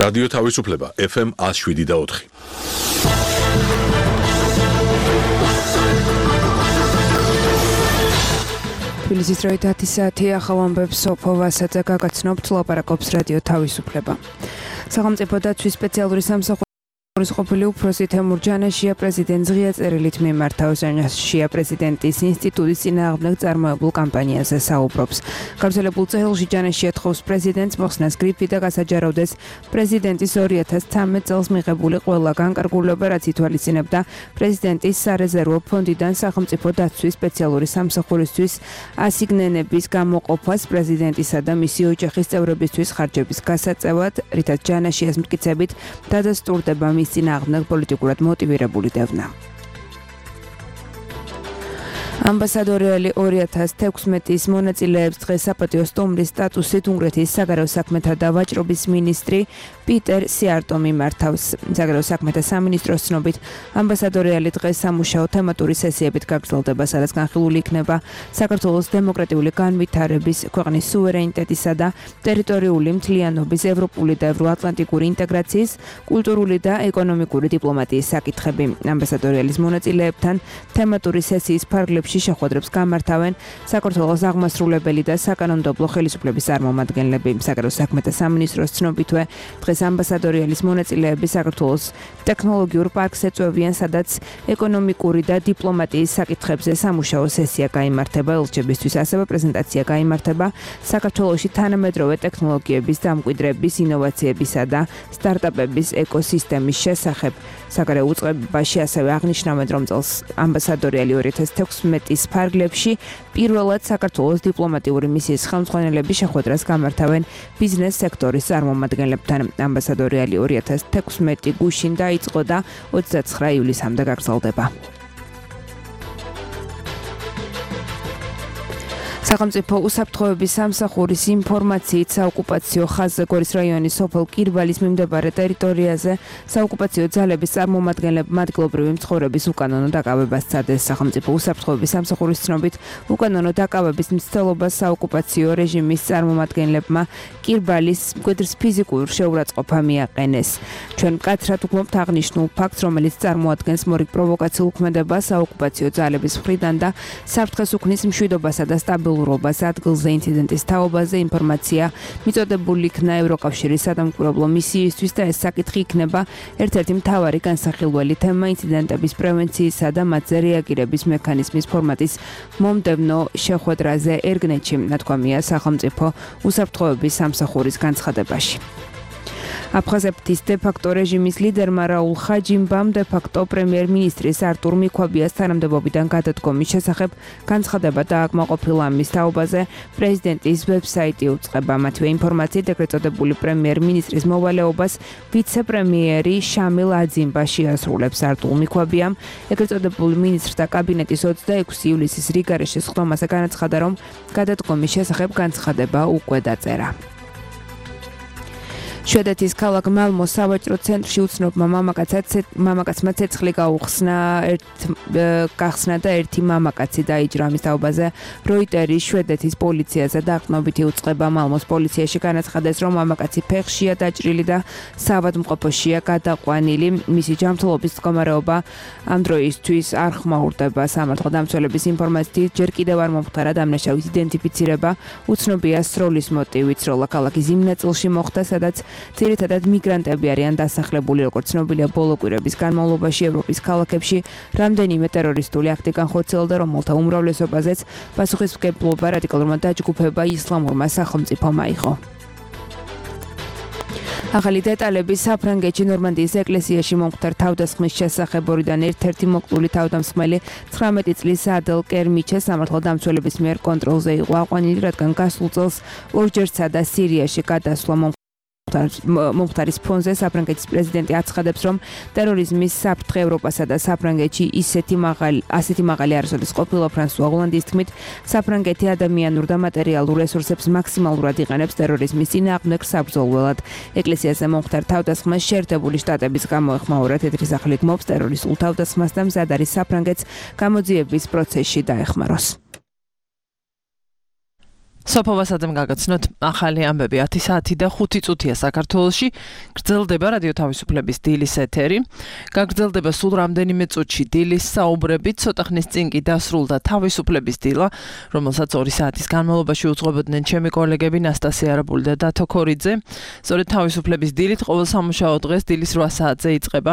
რადიო თავისუფლება FM 107.4. თბილისის დროით 10 საათი ახალ ამბებს სოფო ვასაძე გაგაცნობთ, ლაპარაკობს რადიო თავისუფლება. სახელმწიფო დაცვის სპეციალური სამსახური ყოფილი უფროსი თემურ ჯანაშია პრეზიდენტს ღია წერილით მიმართა. ჟანაშია პრეზიდენტის ინსტიტუტის წინააღმდეგ წარმოებულ კამპანიაზე საუბრობს. გავრცელებულ წერილში ჯანაშია თხოვს პრეზიდენტს მოხსნას გრიფი და გასაჯაროვდეს პრეზიდენტის 2013 წელს მიღებული ყველა განკარგულება, რაც ითვალისწინებდა პრეზიდენტის სარეზერვო ფონდიდან სახელმწიფო დაცვის სპეციალური სამსახურისთვის ასიგნენების გამოყოფას პრეზიდენტისა და მისი ოჯახის წევრებისთვის ხარჯების გასაწევად, რითაც ჯანაშიას მტკიცებით დადასტურდება მის წინააღმდეგ პოლიტიკურად მოტივირებული დევნა. ამბასადორელი 2016-ის მონაწილეებს დღეს საპატიო სტუმრის სტატუსით უნგრეთის საგარეო საქმეთა და ვაჭრობის მინისტრი პიტერ სიარტო მიმართავს. საგარეო საქმეთა სამინისტროს ცნობით, ამბასადორელი დღეს სამუშაო თემატური სესიებით გაგრძელდება, სადაც განხილული იქნება საქართველოს დემოკრატიული განვითარების, ქვეყნის სუვერენიტეტისა და ტერიტორიული მთლიანობის, ევროპული და ევროატლანტიკური ინტეგრაციის, კულტურული და ეკონომიკური დიპლომატიის საკითხები. ამბასადორელის მონაწილეებთან თემატური სესიის ფარგლებში შეხვედრებს გამართავენ საქართველოს აღმასრულებელი და საკანონმდებლო ხელისუფლების წარმომადგენლები. საგარეო საქმეთა სამინისტროს ცნობითვე, დღეს ამბასადორელის მონაწილეები საქართველოს ტექნოლოგიურ პარკს ეწვევიან, სადაც ეკონომიკური და დიპლომატიის საკითხებზე სამუშაო სესია გაიმართება. ელჩებისთვის ასევე პრეზენტაცია გაიმართება საქართველოში თანამედროვე ტექნოლოგიების დამკვიდრების, ინოვაციებისა და სტარტაპების ეკოსისტემის შესახებ. საგარეო უწყებაში ასევე აღნიშნავენ, რომ წელს ამბასადორელი 2016-ის ფარგლებში პირველად საქართველოს დიპლომატიური მისიის ხელმძღვანელები შეხვედრას გამართავენ ბიზნეს სექტორის წარმომადგენლებთან. ამბასადორელი 2016 გუშინ დაიწყო და 29 ივლისამდე გაგრძელდება. სახელმწიფო უსაფრთხოების სამსახურის ინფორმაციით საოკუპაციო ხაზზე გორის რაიონის სოფელ კირბალის მიმდებარე ტერიტორიაზე საოკუპაციო ძალების წარმომადგენლებმა ადგილობრივი მცხოვრების უკანონო დაკავებას სცადეს. სახელმწიფო უსაფრთხოების სამსახურის ცნობით, უკანონო დაკავების მცდელობას საოკუპაციო რეჟიმის წარმომადგენლებმა კირბალის მკვიდრის ფიზიკურ შეურაცხყოფა მიაყენეს. ჩვენ მკაცრად ვგმობთ აღნიშნულ ფაქტს, რომელიც წარმოადგენს მორიგ პროვოკაციულ ქმედებას საოკუპაციო ძალების მხრიდან და საფრთხეს უქმნის მშვიდობასა და სტაბილურობას ადგილზე ინციდენტის თაობაზე ინფორმაცია მიწოდებული იქნა ევროკავშირის სადამკვირვებლო მისიისთვის და ეს საკითხი იქნება ერთ-ერთი მთავარი განსახილველი თემა ინციდენტების პრევენციისა და მათზე რეაგირების მექანიზმის ფორმატის მომდევნო შეხვედრაზე ერგნეთში, ნათქვამია სახელმწიფო უსაფრთხოების სამსახურის განცხადებაში. აფხაზეთის დე-ფაქტო რეჟიმის ლიდერმა რაულ ხაჯიმბამ დე-ფაქტო პრემიერ-მინისტრის არტურ მიქვაბიას თანამდებობიდან გადადგომის შესახებ განცხადება დააკმაყოფილა. მის თაობაზე პრეზიდენტის ვებსაიტი უწყება. მათივე ინფორმაციით, ეგრეთ წოდებული პრემიერ-მინისტრის მოვალეობას ვიცე-პრემიერი შამილ აძიმბა შეასრულებს. არტურ მიქვაბიამ ეგრეთ წოდებული მინისტრთა კაბინეტის 26 ივლისის რიგარეშის ხდომაზე განაცხადა, რომ გადადგომის შესახებ განცხადება უკვე დაწერა. შვედეთის ქალაქ მალმოს სავაჭრო ცენტრში უცნობმა მამაკაცმა ცეცხლი გახსნა და ერთი მამაკაცი დაიჭრა. ამის თაობაზე როიტერის შვედეთის პოლიციაზე დაყრდნობითი უწყება. მალმოს პოლიციაში განაცხადეს, რომ მამაკაცი ფეხშია დაჭრილი და საავადმყოფოშია გადაყვანილი. მისი ჯანმრთელობის მდგომარეობა ამ დროისთვის არ ხმაურდება. სამართალდამცველების ინფორმაციით, ჯერ კიდევ არ მომხდარა დამნაშავის იდენტიფიცირება. უცნობია სროლის მოტივი. სროლა ქალაქის იმ ნაწილში მოხდა, სადაც ძირითადად მიგრანტები არიან დასახლებული. როგორც ცნობილია, ბოლო კვირების განმავლობაში ევროპის ქალაქებში რამდენიმე ტერორისტული აქტი განხორციელდა, რომელთა უმრავლესობაზეც პასუხისმგებლობა რადიკალურმა დაჯგუფება ისლამურმა სახელმწიფომ აიღო. ახალი დეტალები საფრანგეთში ნორმანდიის ეკლესიაში მომხდარ თავდასხმის შესახებ. ორიდან ერთ-ერთი მოკლული თავდამსხმელი 19 წლის ადელ კერმიჩე სამართალდამცველების მიერ კონტროლზე იყო აყვანილი, რადგან გასულ წელს ორჯერცაა და სირიაში გადასვლა მომხდარის ფონზე. საფრანგეთის პრეზიდენტი აცხადებს, რომ ტერორიზმის საფრთხე ევროპასა და საფრანგეთში ასეთი მაღალი არასოდეს ყოფილა. ფრანსუა ოლანდის თქმით, საფრანგეთი ადამიანურ და მატერიალურ რესურსებს მაქსიმალურად იყენებს ტერორიზმის წინააღმდეგ საბრძოლველად. ეკლესიაზე მომხდარ თავდასხმას შეერთებული შტატების გამოეხმაურა. თეთრი სახლი გმობს ტერორისტულ თავდასხმას და მზად არის საფრანგეთს გამოძიების პროცესში დაეხმაროს. სოფოვასადამ გაგაცნოთ ახალი ამბები 10 საათი და 5 წუთია საქართველოში გრძელდება რადიო თავისუფლების დილის ეთერი გაგრძელდება სულ რამდენიმე წუთში დილის საუბრები ცოტა ხნის წინ კი დასრულდა თავისუფლების დილა რომელსაც 2 საათის განმავლობაში უძღვებოდნენ ჩემი კოლეგები ნასტასია არაბული და დათო ქორიძე სწორედ თავისუფლების დილით ყოველ სამუშაო დღეს დილის 8 საათზე იწყება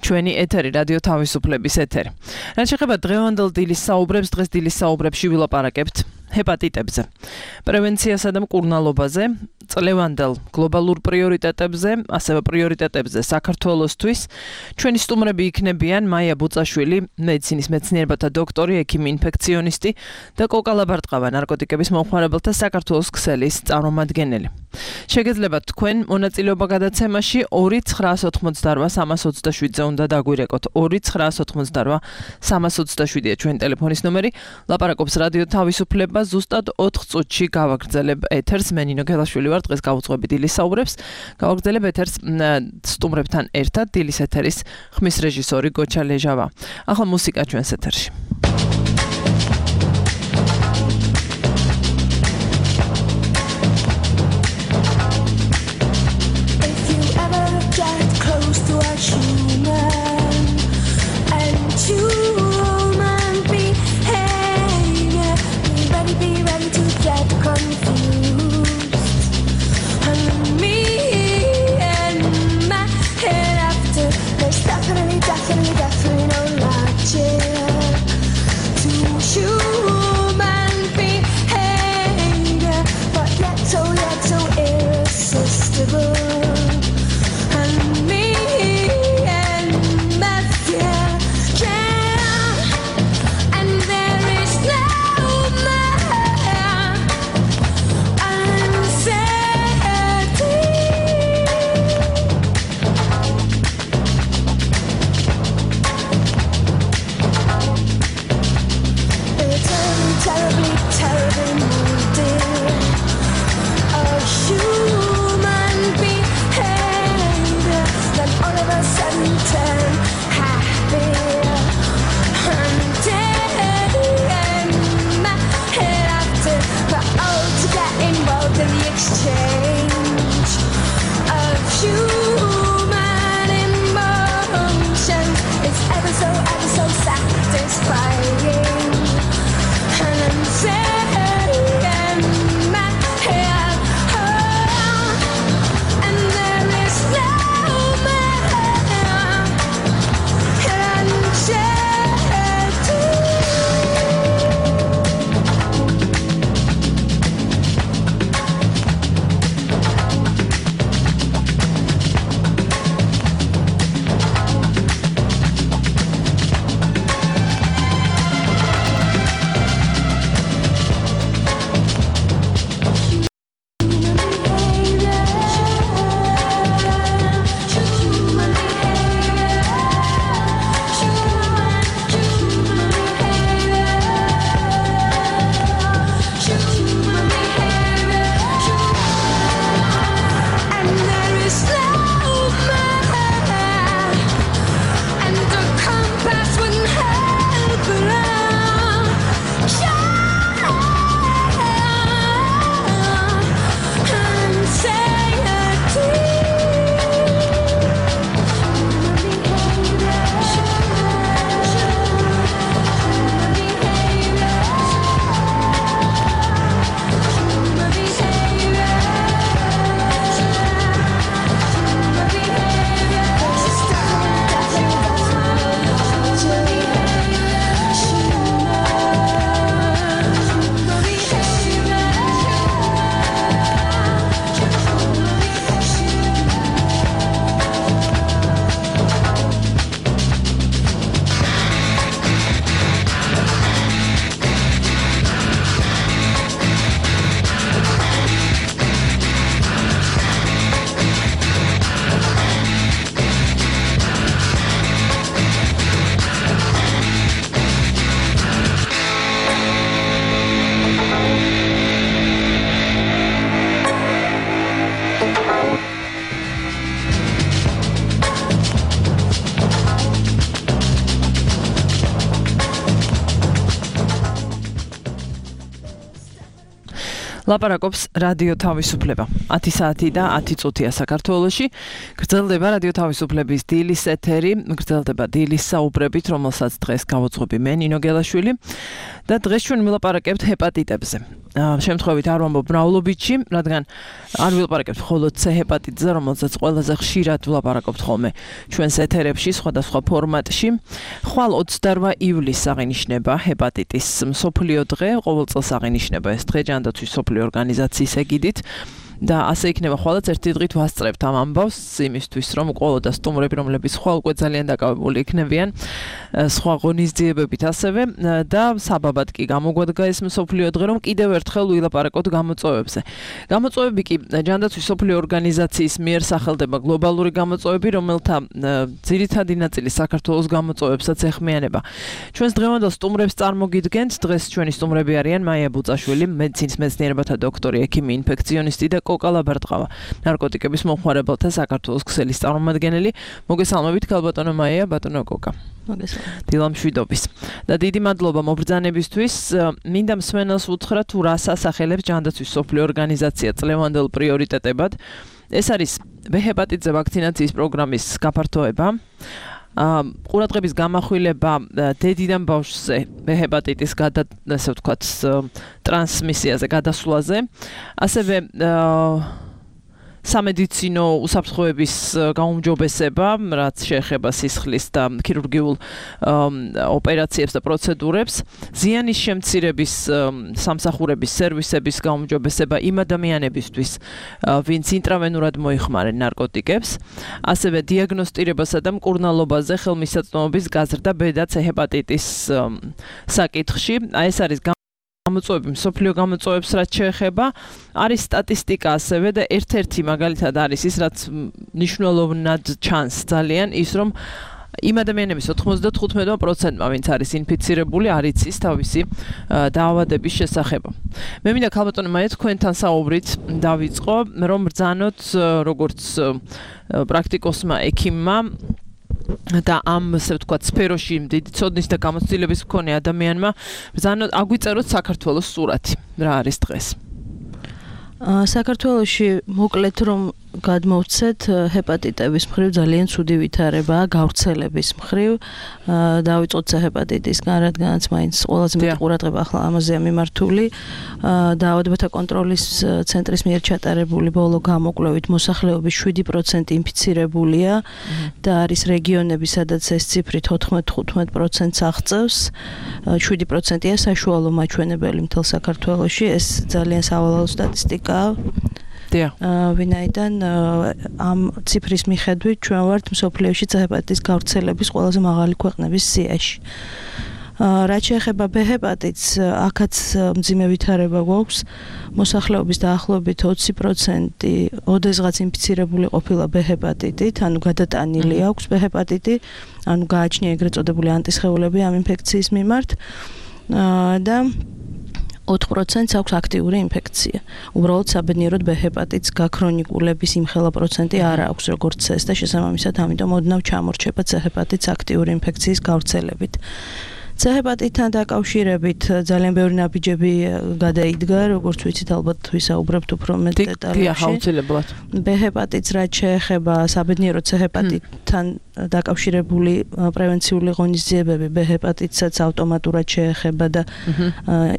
ჩვენი ეთერი რადიო თავისუფლების ეთერი რაც შეეხება დღევანდელ დილის საუბრებს დღეს დილის საუბრებში ვილაპარაკებთ ჰეპატიტებზე, პრევენციასა და მკურნალობაზე, წლევანდელ გლობალურ პრიორიტეტებზე, ასევე პრიორიტეტებზე საქართველოსთვის. ჩვენი სტუმრები იქნებიან მაია ბუწაშვილი, მედიცინის მეცნიერებათა დოქტორი, ექიმი ინფექციონისტი და კოკა ლაბარტყავა, ნარკოტიკების მომხმარებელთა საქართველოს ქსელის წარმომადგენელი. შეგეძლებათ თქვენ მონაწილეობა გადაცემაში 2-988-327-ზე უნდა დაგვირეკოთ. 2-988-327-ია ჩვენი ტელეფონის ნომერი. ლაპარაკობს რადიო თავისუფლება ზუსტად 4 წუთში გავაგრძელებ ეთერს მე ნინო გელაშვილი ვარ დღეს გავუძღვები დილის საუბრებს გავაგრძელებ ეთერს სტუმრებთან ერთად დილის ეთერის ხმის რეჟისორი გოჩა ლეჟავა ახლა მუსიკა ჩვენს ეთერში so satisfying and I'm ლაპარაკობს რადიო თავისუფლება. 10 საათი და 10 წუთია საქართველოში. გრძელდება რადიო თავისუფლების დილის ეთერი, გრძელდება დილის საუბრებით, რომელსაც დღეს გავუძღვები მე ნინო გელაშვილი და დღეს ჩვენ ვილაპარაკებთ ჰეპატიტებზე. შემთხვევით არ ვამბობ მრავლობითში, რადგან არ ვილაპარაკებთ მხოლოდ C ჰეპატიტზე, რომელზეც ყველაზე ხშირად ვილაპარაკობთ ხოლმე ჩვენს ეთერებში სხვადასხვა ფორმატში. ხვალ 28 ივლისს აღინიშნება ჰეპატიტის მსოფლიო დღე, ყოველ წელს აღინიშნება ეს დღე ჯანდაცვის მსოფლიო ორგანიზაციის ეგიდით. და ასე იქნება ხვალაც ერთი დღით ვასწრებთ ამ ამბავს იმისთვის რომ ყველა და სტუმრები რომლებიც ხვალ უკვე ძალიან დაკავებული იქნებიან სხვა ღონისძიებებით ასევე და საბაბად კი გამოგვადგა ეს მსოფლიო დღე რომ კიდევ ერთხელ ვილაპარაკოთ გამოწვევებზე. გამოწვევები კი ჯანდაცვის მსოფლიო ორგანიზაციის მიერ სახელდება გლობალური გამოწვევები, რომელთა ძირითადი ნაწილი საქართველოს გამოწვევებსაც ეხმიანება. ჩვენს დღევანდელ სტუმრებს წარმოგიდგენთ. დღეს ჩვენი სტუმრები არიან მაია ბუწაშვილი, მედიცინის მეცნიერებათა დოქტორი, ექიმი, ინფექციონისტი და კოკა ლაბერტყავა, ნარკოტიკების მომხმარებელთა საქართველოს ქსელის წარმომადგენელი. მოგესალმებით ქალბატონო მაია, ბატონო კოკა. მოგესალმებით. დილამშვიდობის. და დიდი მადლობა მობრძანებისთვის. მინდა მსმენელს უთხრა თუ რას ასახელებს ჯანდაცვის მსოფლიო ორგანიზაცია წლევანდელ პრიორიტეტებად. ეს არის B ჰეპატიტზე ვაქცინაციის პროგრამის გაფართოება. ყურადღების გამახვილება დედიდან ბავშვზე B ჰეპატიტის ასე ვთქვათ ტრანსმისიაზე, გადასვლაზე, ასევე სამედიცინო უსაფრთხოების გაუმჯობესება, რაც შეეხება სისხლის და ქირურგიულ ოპერაციებს და პროცედურებს, ზიანის შემცირების სამსახურების სერვისების გაუმჯობესება იმ ადამიანებისთვის, ვინც ინტრავენურად მოიხმარენ ნარკოტიკებს, ასევე დიაგნოსტირებასა და მკურნალობაზე ხელმისაწვდომობის გაზრდა B და C ჰეპატიტის საკითხში. ეს არის გამოწვევები მსოფლიო გამოწვევებს რაც შეეხება, არის სტატისტიკა ასევე და ერთ-ერთი მაგალითად არის ის, რაც მნიშვნელოვნად ჩანს ძალიან, ის რომ იმ ადამიანების 95%-მა, ვინც არის ინფიცირებული, არ იცის თავისი დაავადების შესახებ. მე მინდა ქალბატონო მაია თქვენთან საუბრით დავიწყო, რომ ბრძანოთ როგორც პრაქტიკოსმა ექიმმა და ამ ასე ვთქვათ სფეროში დიდი ცოდნის და გამოცდილების მქონე ადამიანმა ბრძანოთ აგვიწეროთ საქართველოს სურათი. რა არის დღეს? საქართველოში მოკლედ რომ გადმოვცეთ ჰეპატიტების მხრივ ძალიან ცუდი ვითარებაა გავრცელების მხრივ. დავიწყოთ C ჰეპატიტისგან, რადგანაც მაინც ყველაზე მეტი ყურადღება ახლა ამაზეა მიმართული. დაავადებათა კონტროლის ცენტრის მიერ ჩატარებული ბოლო გამოკვლევით მოსახლეობის 7% ინფიცირებულია და არის რეგიონები, სადაც ეს ციფრი 14-15%-ს აღწევს. 7%-ია საშუალო მაჩვენებელი მთელ საქართველოში. ეს ძალიან სავალალო სტატისტიკაა. ვინაიდან ამ ციფრის მიხედვით ჩვენ ვართ მსოფლიოში C ჰეპატიტის გავრცელების ყველაზე მაღალი ქვეყნების სიაში. რაც შეეხება B ჰეპატიტს, აქაც მძიმე ვითარება გვაქვს. მოსახლეობის დაახლოებით 20% ოდესღაც ინფიცირებული ყოფილა B ჰეპატიტით, ანუ გადატანილი აქვს B ჰეპატიტი, ანუ გააჩნია ეგრეთ წოდებული ანტისხეულები ამ ინფექციის მიმართ და 4%-ს აქვს აქტიური ინფექცია. უბრალოდ საბედნიეროდ B ჰეპატიტს გაქრონიკულების იმხელა პროცენტი არ აქვს როგორც C-ს და შესაბამისად ამიტომ ოდნავ ჩამორჩება C ჰეპატიტს აქტიური ინფექციის გავრცელებით. C ჰეპატიტთან დაკავშირებით ძალიან ბევრი ნაბიჯები გადაიდგა, როგორც ვიცით, ალბათ ვისაუბრებთ უფრო მეტ დეტალებში. B ჰეპატიტს რაც შეეხება საბედნიეროდ C ჰეპატიტთან დაკავშირებული პრევენციული ღონისძიებები B ჰეპატიტსაც ავტომატურად შეეხება და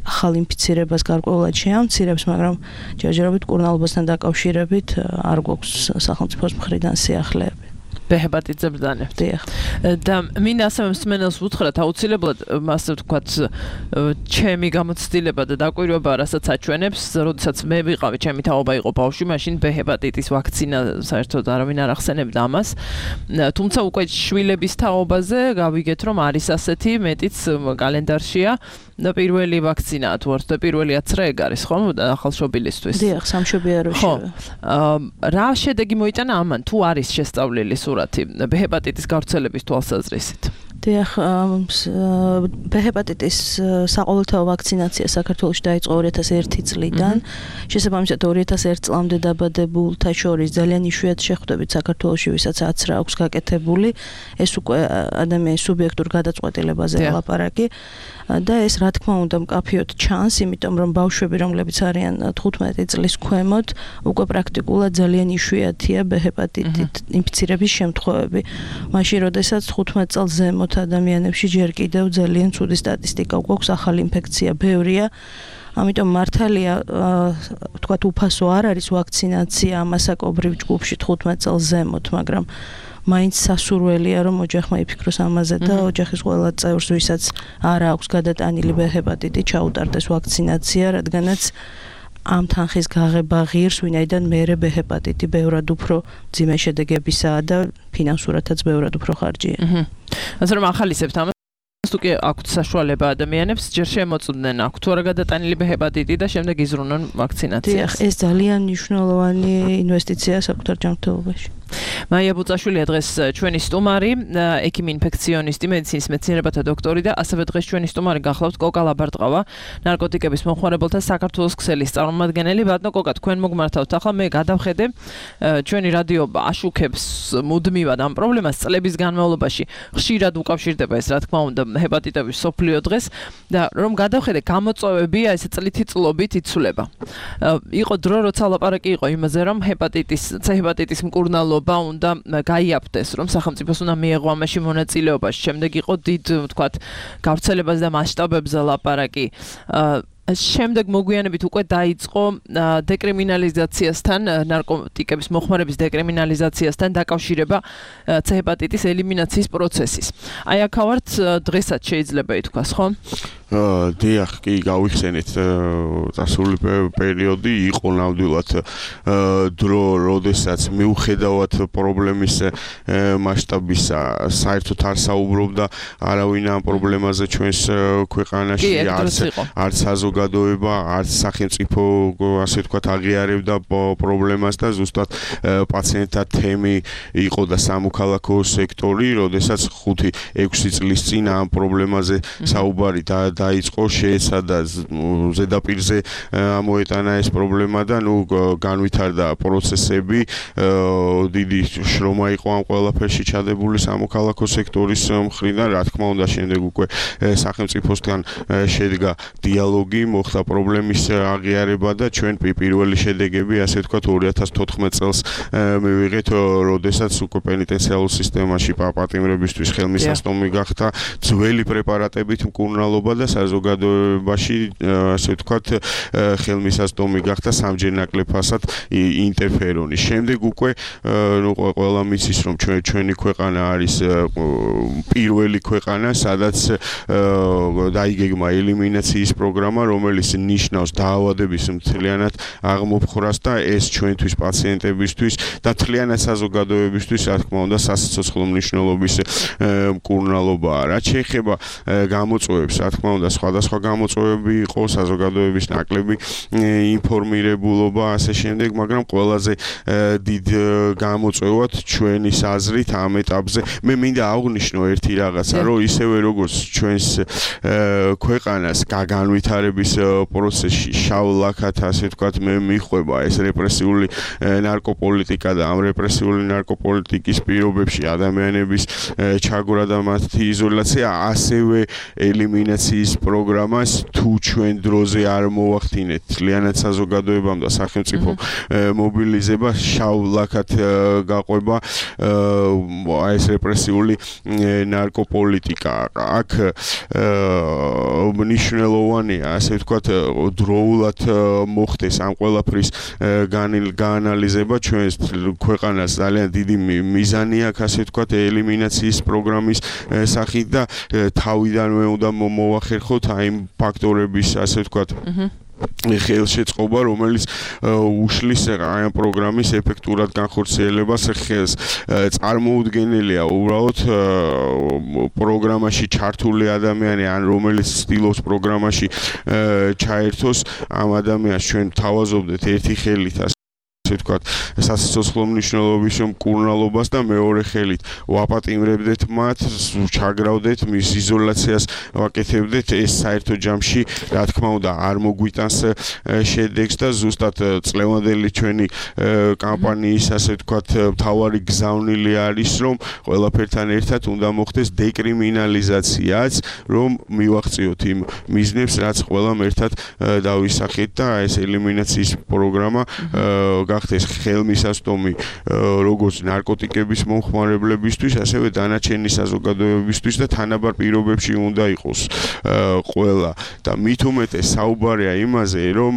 ახალ ინფიცირებას გარკვეულად შეამცირებს, მაგრამ ჯერჯერობით მკურნალობასთან დაკავშირებით არ გვაქვს სახელმწიფოს მხრიდან სიახლეები. B ჰეპატიტზე ბრძანებთ. და მინდა ასევე მსმენელს უთხრათ აუცილებლად ასე ვთქვათ ჩემი გამოცდილება და დაკვირვება რასაც აჩვენებს, როდესაც მე ვიყავი, ჩემი თაობა იყო ბავშვი, მაშინ B ჰეპატიტის ვაქცინა საერთოდ არავინ არ ახსენებდა ამას. თუმცა უკვე შვილების თაობაზე გავიგეთ, რომ არის ასეთი, მეტიც კალენდარშია და პირველი ვაქცინაა თუ არა და პირველი 10 ეგ არის, ხო, ახალშობილისთვის. დიახ, სამშობიაროში. რა შედეგი მოიტანა ამან, თუ არის შესწავლილი სურათი B ჰეპატიტის გავრცელების თვალსაზრისით? დიახ, B ჰეპატიტის საყოველთაო ვაქცინაცია საქართველოში დაიწყო 2001 წლიდან. შესაბამისად 2001 წლამდე დაბადებულთა შორის ძალიან იშვიათ შეხვდებით საქართველოში, ვისაც 10 აქვს გაკეთებული. ეს უკვე ადამიანის სუბიექტურ გადაწყვეტილებაზე ლაპარაკი. და ეს რა თქმა უნდა მკაფიოდ ჩანს, იმიტომ რომ ბავშვები, რომლებიც არიან 15 წლის ქვემოთ, უკვე პრაქტიკულად ძალიან იშვიათია B ჰეპატიტით ინფიცირების შემთხვევები. მაშინ, როდესაც 15 წელს ზემოთ ადამიანებში ჯერ კიდევ ძალიან ცუდი სტატისტიკა გვაქვს, ახალი ინფექცია ბევრია. ამიტომ მართალია, ვთქვათ, უფასო არ არის ვაქცინაცია ამასაკობრივ ჯგუფში 15 წელს ზემოთ, მაგრამ მაინც სასურველია, რომ ოჯახმა იფიქროს ამაზე და ოჯახის ყველა წევრს, ვისაც არ აქვს გადატანილი B ჰეპატიტი, ჩაუტარდეს ვაქცინაცია, რადგანაც ამ თანხის გაღება ღირს, ვინაიდან მერე B ჰეპატიტი ბევრად უფრო მძიმე შედეგებისაა და ფინანსურადაც ბევრად უფრო ხარჯია. ასე რომ ახალისებთ ამას თუ კი აქვთ საშუალება ადამიანებს, ჯერ შემოწმდნენ აქვთ თუ არა გადატანილი B ჰეპატიტი და შემდეგ იზრუნონ ვაქცინაციას. ეს ძალიან მნიშვნელოვანი ინვესტიციაა საკუთარ ჯანმრთელობაში. მაია ბუწაშვილია დღეს ჩვენი სტუმარი, ექიმი ინფექციონისტი, მედიცინის მეცნიერებათა დოქტორი და ასევე დღეს ჩვენი სტუმარი გახლავთ კოკა ლაბარტყავა, ნარკოტიკების მომხმარებელთა საქართველოს ქსელის წარმომადგენელი. ბატონო კოკა, თქვენ მოგმართავთ. ახლა მე გადავხედე, ჩვენი რადიო აშუქებს მუდმივად ამ პრობლემას წლების განმავლობაში. ხშირად უკავშირდება ეს, რა თქმა უნდა, ჰეპატიტების სოფლიო დღეს და რომ გადავხედე, გამოწვევებია ესე წლითი წლობით იცვლება. იყო დრო, როცა ლაპარაკი იყო იმაზე, რომ C ჰეპატიტის მკურნალობა უნდა გაიაფთეს, რომ სახელმწიფოს უნდა მიეღო ამაში მონაწილეობაში. შემდეგ იყო დიდ, ვთქვათ, გავრცელებას და მასშტაბებზე ლაპარაკი. შემდეგ მოგვიანებით უკვე დაიწყო დეკრიმინალიზაციასთან, ნარკოტიკების მოხმარების დეკრიმინალიზაციასთან დაკავშირება C ჰეპატიტის ელიმინაციის პროცესის. აი აქ ვართ, დღესაც შეიძლება ითქვას, ხო? დიახ, კი, გავიხსენეთ წასული პერიოდი იყო ნამდვილად დრო, როდესაც მიუხედავად პრობლემის მასშტაბისა, საერთოდ არ საუბრობდა არავინ ამ პრობლემაზე ჩვენს ქვეყანაში, არც საზოგადოება, არც სახელმწიფო, ასე ვთქვათ, აღიარებდა პრობლემას და ზუსტად პაციენტთა თემი იყო და სამოქალაქო სექტორი, როდესაც 5-6 წლის წინ ამ პრობლემაზე საუბარი დაიწყო, შეეცადა ზედაპირზე ამოეტანა ეს პრობლემა და განვითარდა პროცესები, დიდი შრომა იყო ამ ყველაფერში ჩადებული სამოქალაქო სექტორის მხრიდან, რა თქმა უნდა, შემდეგ უკვე სახელმწიფოსთან შედგა დიალოგი, მოხდა პრობლემის აღიარება და ჩვენ პირველი შედეგები, ასე ვთქვათ, 2014 წელს მივიღეთ, როდესაც უკვე პენიტენციარულ სისტემაში პატიმრებისთვის ხელმისაწვდომი გახდა ძველი პრეპარატებით მკურნალობა და საზოგადოებაში, ასე ვთქვათ, ხელმისაწვდომი გახდა სამჯერ ნაკლებ ფასად ინტერფერონი. შემდეგ უკვე ყველა მიცის, რომ ჩვენი ქვეყანა არის პირველი ქვეყანა, სადაც დაიგეგმა ელიმინაციის პროგრამა, რომელიც ნიშნავს დაავადების მთლიანად აღმოფხვრას და ეს ჩვენთვის პაციენტებისთვის და მთლიანად საზოგადოებისთვის, რა თქმა უნდა, სასიცოცხლო მნიშვნელობის მკურნალობაა. რაც შეეხება გამოწვევებს, რა თქმა უნდა, სხვადასხვა გამოწვევები იყო, საზოგადოების ნაკლები ინფორმირებულობა, ასე შემდეგ, მაგრამ ყველაზე დიდ გამოწვევად ჩვენის აზრით ამ ეტაპზე მე მინდა აღვნიშნო ერთი რაღაცა, რომ ისევე როგორც ჩვენს ქვეყანას განვითარების პროცესში შავ ლაქად, ასე ვთქვათ, მე მიხვება ეს რეპრესიული ნარკოპოლიტიკა და ამ რეპრესიული ნარკოპოლიტიკის პირობებში ადამიანების ჩაგვრა და მათი იზოლაცია, ასევე ელიმინაციის პროგრამას თუ ჩვენ დროზე არ მოვახდინეთ, მთლიანად საზოგადოებამ და სახელმწიფო მობილიზება, შავ ლაქად გაყვება ეს რეპრესიული ნარკოპოლიტიკა. აქ მნიშვნელოვანია, ასე ვთქვათ, დროულად მოხდეს ამ ყველაფრის გაანალიზება. ჩვენს ქვეყანას ძალიან დიდი მიზანი აქვს, ასე ვთქვათ, ელიმინაციის პროგრამის სახით და თავიდანვე უნდა მოვახერხოთ აი იმ ფაქტორების, ასე ვთქვათ, ხელშეწყობა, რომელიც უშლის ამ პროგრამის ეფექტურად განხორციელებას ხელს. წარმოუდგენელია უბრალოდ პროგრამაში ჩართული ადამიანი, ან რომელიც ცდილობს პროგრამაში ჩაერთოს, ამ ადამიანს ჩვენ თავაზობდეთ ერთი ხელით ვთქვათ, სასიცოცხლო მნიშვნელობის მკურნალობას და მეორე ხელით ვაპატიმრებდეთ მათ, ჩაგრავდეთ მის იზოლაციას, ვაკეთებდეთ ეს საერთო ჯამში, რა თქმა უნდა, არ მოგვიტანს შედეგს და ზუსტად წლევანდელი ჩვენი კამპანიის, ასე ვთქვათ, მთავარი გზავნილი არის, რომ ყველაფერთან ერთად უნდა მოხდეს დეკრიმინალიზაციაც, რომ მივაღწიოთ იმ მიზნებს, რაც ყველამ ერთად დავისახეთ და ეს ელიმინაციის პროგრამა გახდეს ხელმისაწვდომი როგორც ნარკოტიკების მომხმარებლებისთვის, ასევე დანარჩენი საზოგადოებისთვის და თანაბარ პირობებში უნდა იყოს ყველა. და მით უმეტეს საუბარია იმაზე, რომ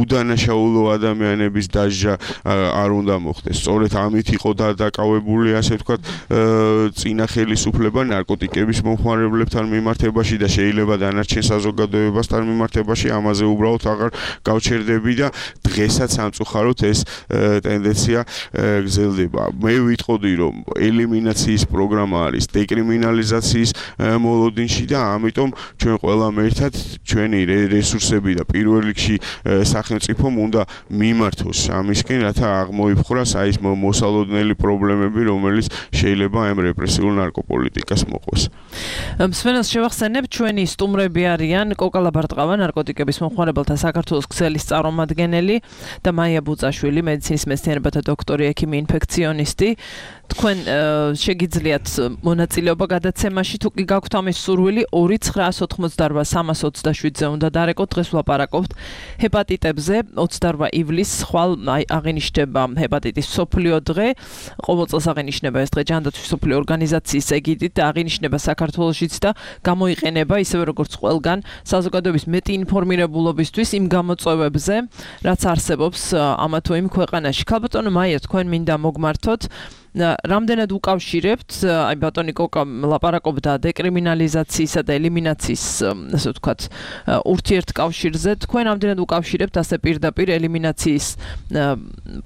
უდანაშაულო ადამიანების დასჯა არ უნდა მოხდეს. სწორედ ამით იყო დაკავებული, ასე ვთქვათ, წინა ხელისუფლება ნარკოტიკების მომხმარებლებთან მიმართებაში და შეიძლება დანარჩენ საზოგადოებასთან მიმართებაში, ამაზე უბრალოდ აღარ გავჩერდები და დღესაც სამწუხაროდ ეს ტენდენცია გრძელდება. მე ვიტყოდი, რომ ელიმინაციის პროგრამა არის დეკრიმინალიზაციის მოლოდინში და ამიტომ ჩვენ ყველამ ერთად ჩვენი რესურსები და პირველ რიგში სახელმწიფომ უნდა მიმართოს ამისკენ, რათა აღმოიფხვრას აი ეს მოსალოდნელი პრობლემები, რომელიც შეიძლება ამ რეპრესიულ ნარკოპოლიტიკას მოყვეს. მსმენელს შევახსენებ, ჩვენი სტუმრები არიან კოკალა ბარტყავა, ნარკოტიკების მომხმარებელთა საქართველოს ქსელის წარმომადგენელი და მაია ბუწაშვილი, მედიცინის მეცნიერებათა დოქტორი, ექიმი, ინფექციონისტი. თქვენ შეგიძლიათ მონაწილეობა გადაცემაში, თუ კი გაქვთ ამის სურვილი, 2988327-ზე უნდა დარეკოთ. დღეს ვლაპარაკობთ ჰეპატიტებზე. 28 ივლისს ხვალ აღინიშნება ჰეპატიტის მსოფლიო დღე. ყოველ წელს აღინიშნება ეს დღე ჯანდაცვის მსოფლიო ორგანიზაციის ეგიდით და აღინიშნება საქართველოშიც და გამოიყენება ისევე როგორც ყველგან საზოგადოების მეტი ინფორმირებულობისთვის იმ გამოწვევებზე, რაც არსებობს ამა თუ იმ ქვეყანაში. ქალბატონო მაია, თქვენ მინდა მოგმართოთ. რამდენად უკავშირებთ, აი ბატონი კოკა ლაპარაკობდა დეკრიმინალიზაციისა და ელიმინაციის, ასე ვთქვათ, ურთიერთკავშირზე. თქვენ რამდენად უკავშირებთ ასე პირდაპირ ელიმინაციის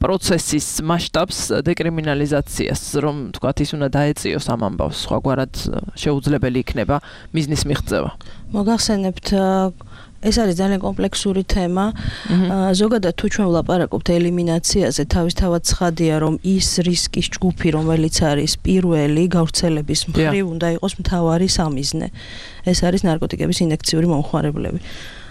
პროცესის მასშტაბს დეკრიმინალიზაციას, რომ ვთქვათ, ის უნდა დაეწიოს ამ ამბავს, სხვაგვარად შეუძლებელი იქნება მიზნის მიღწევა. მოგახსენებთ ეს არის ძალიან კომპლექსური თემა. ზოგადად თუ ჩვენ ვლაპარაკობთ ელიმინაციაზე, თავისთავად ცხადია, რომ ის რისკის ჯგუფი, რომელიც არის პირველი გავრცელების მხრივ, უნდა იყოს მთავარი სამიზნე. ეს არის ნარკოტიკების ინექციური მომხმარებლები.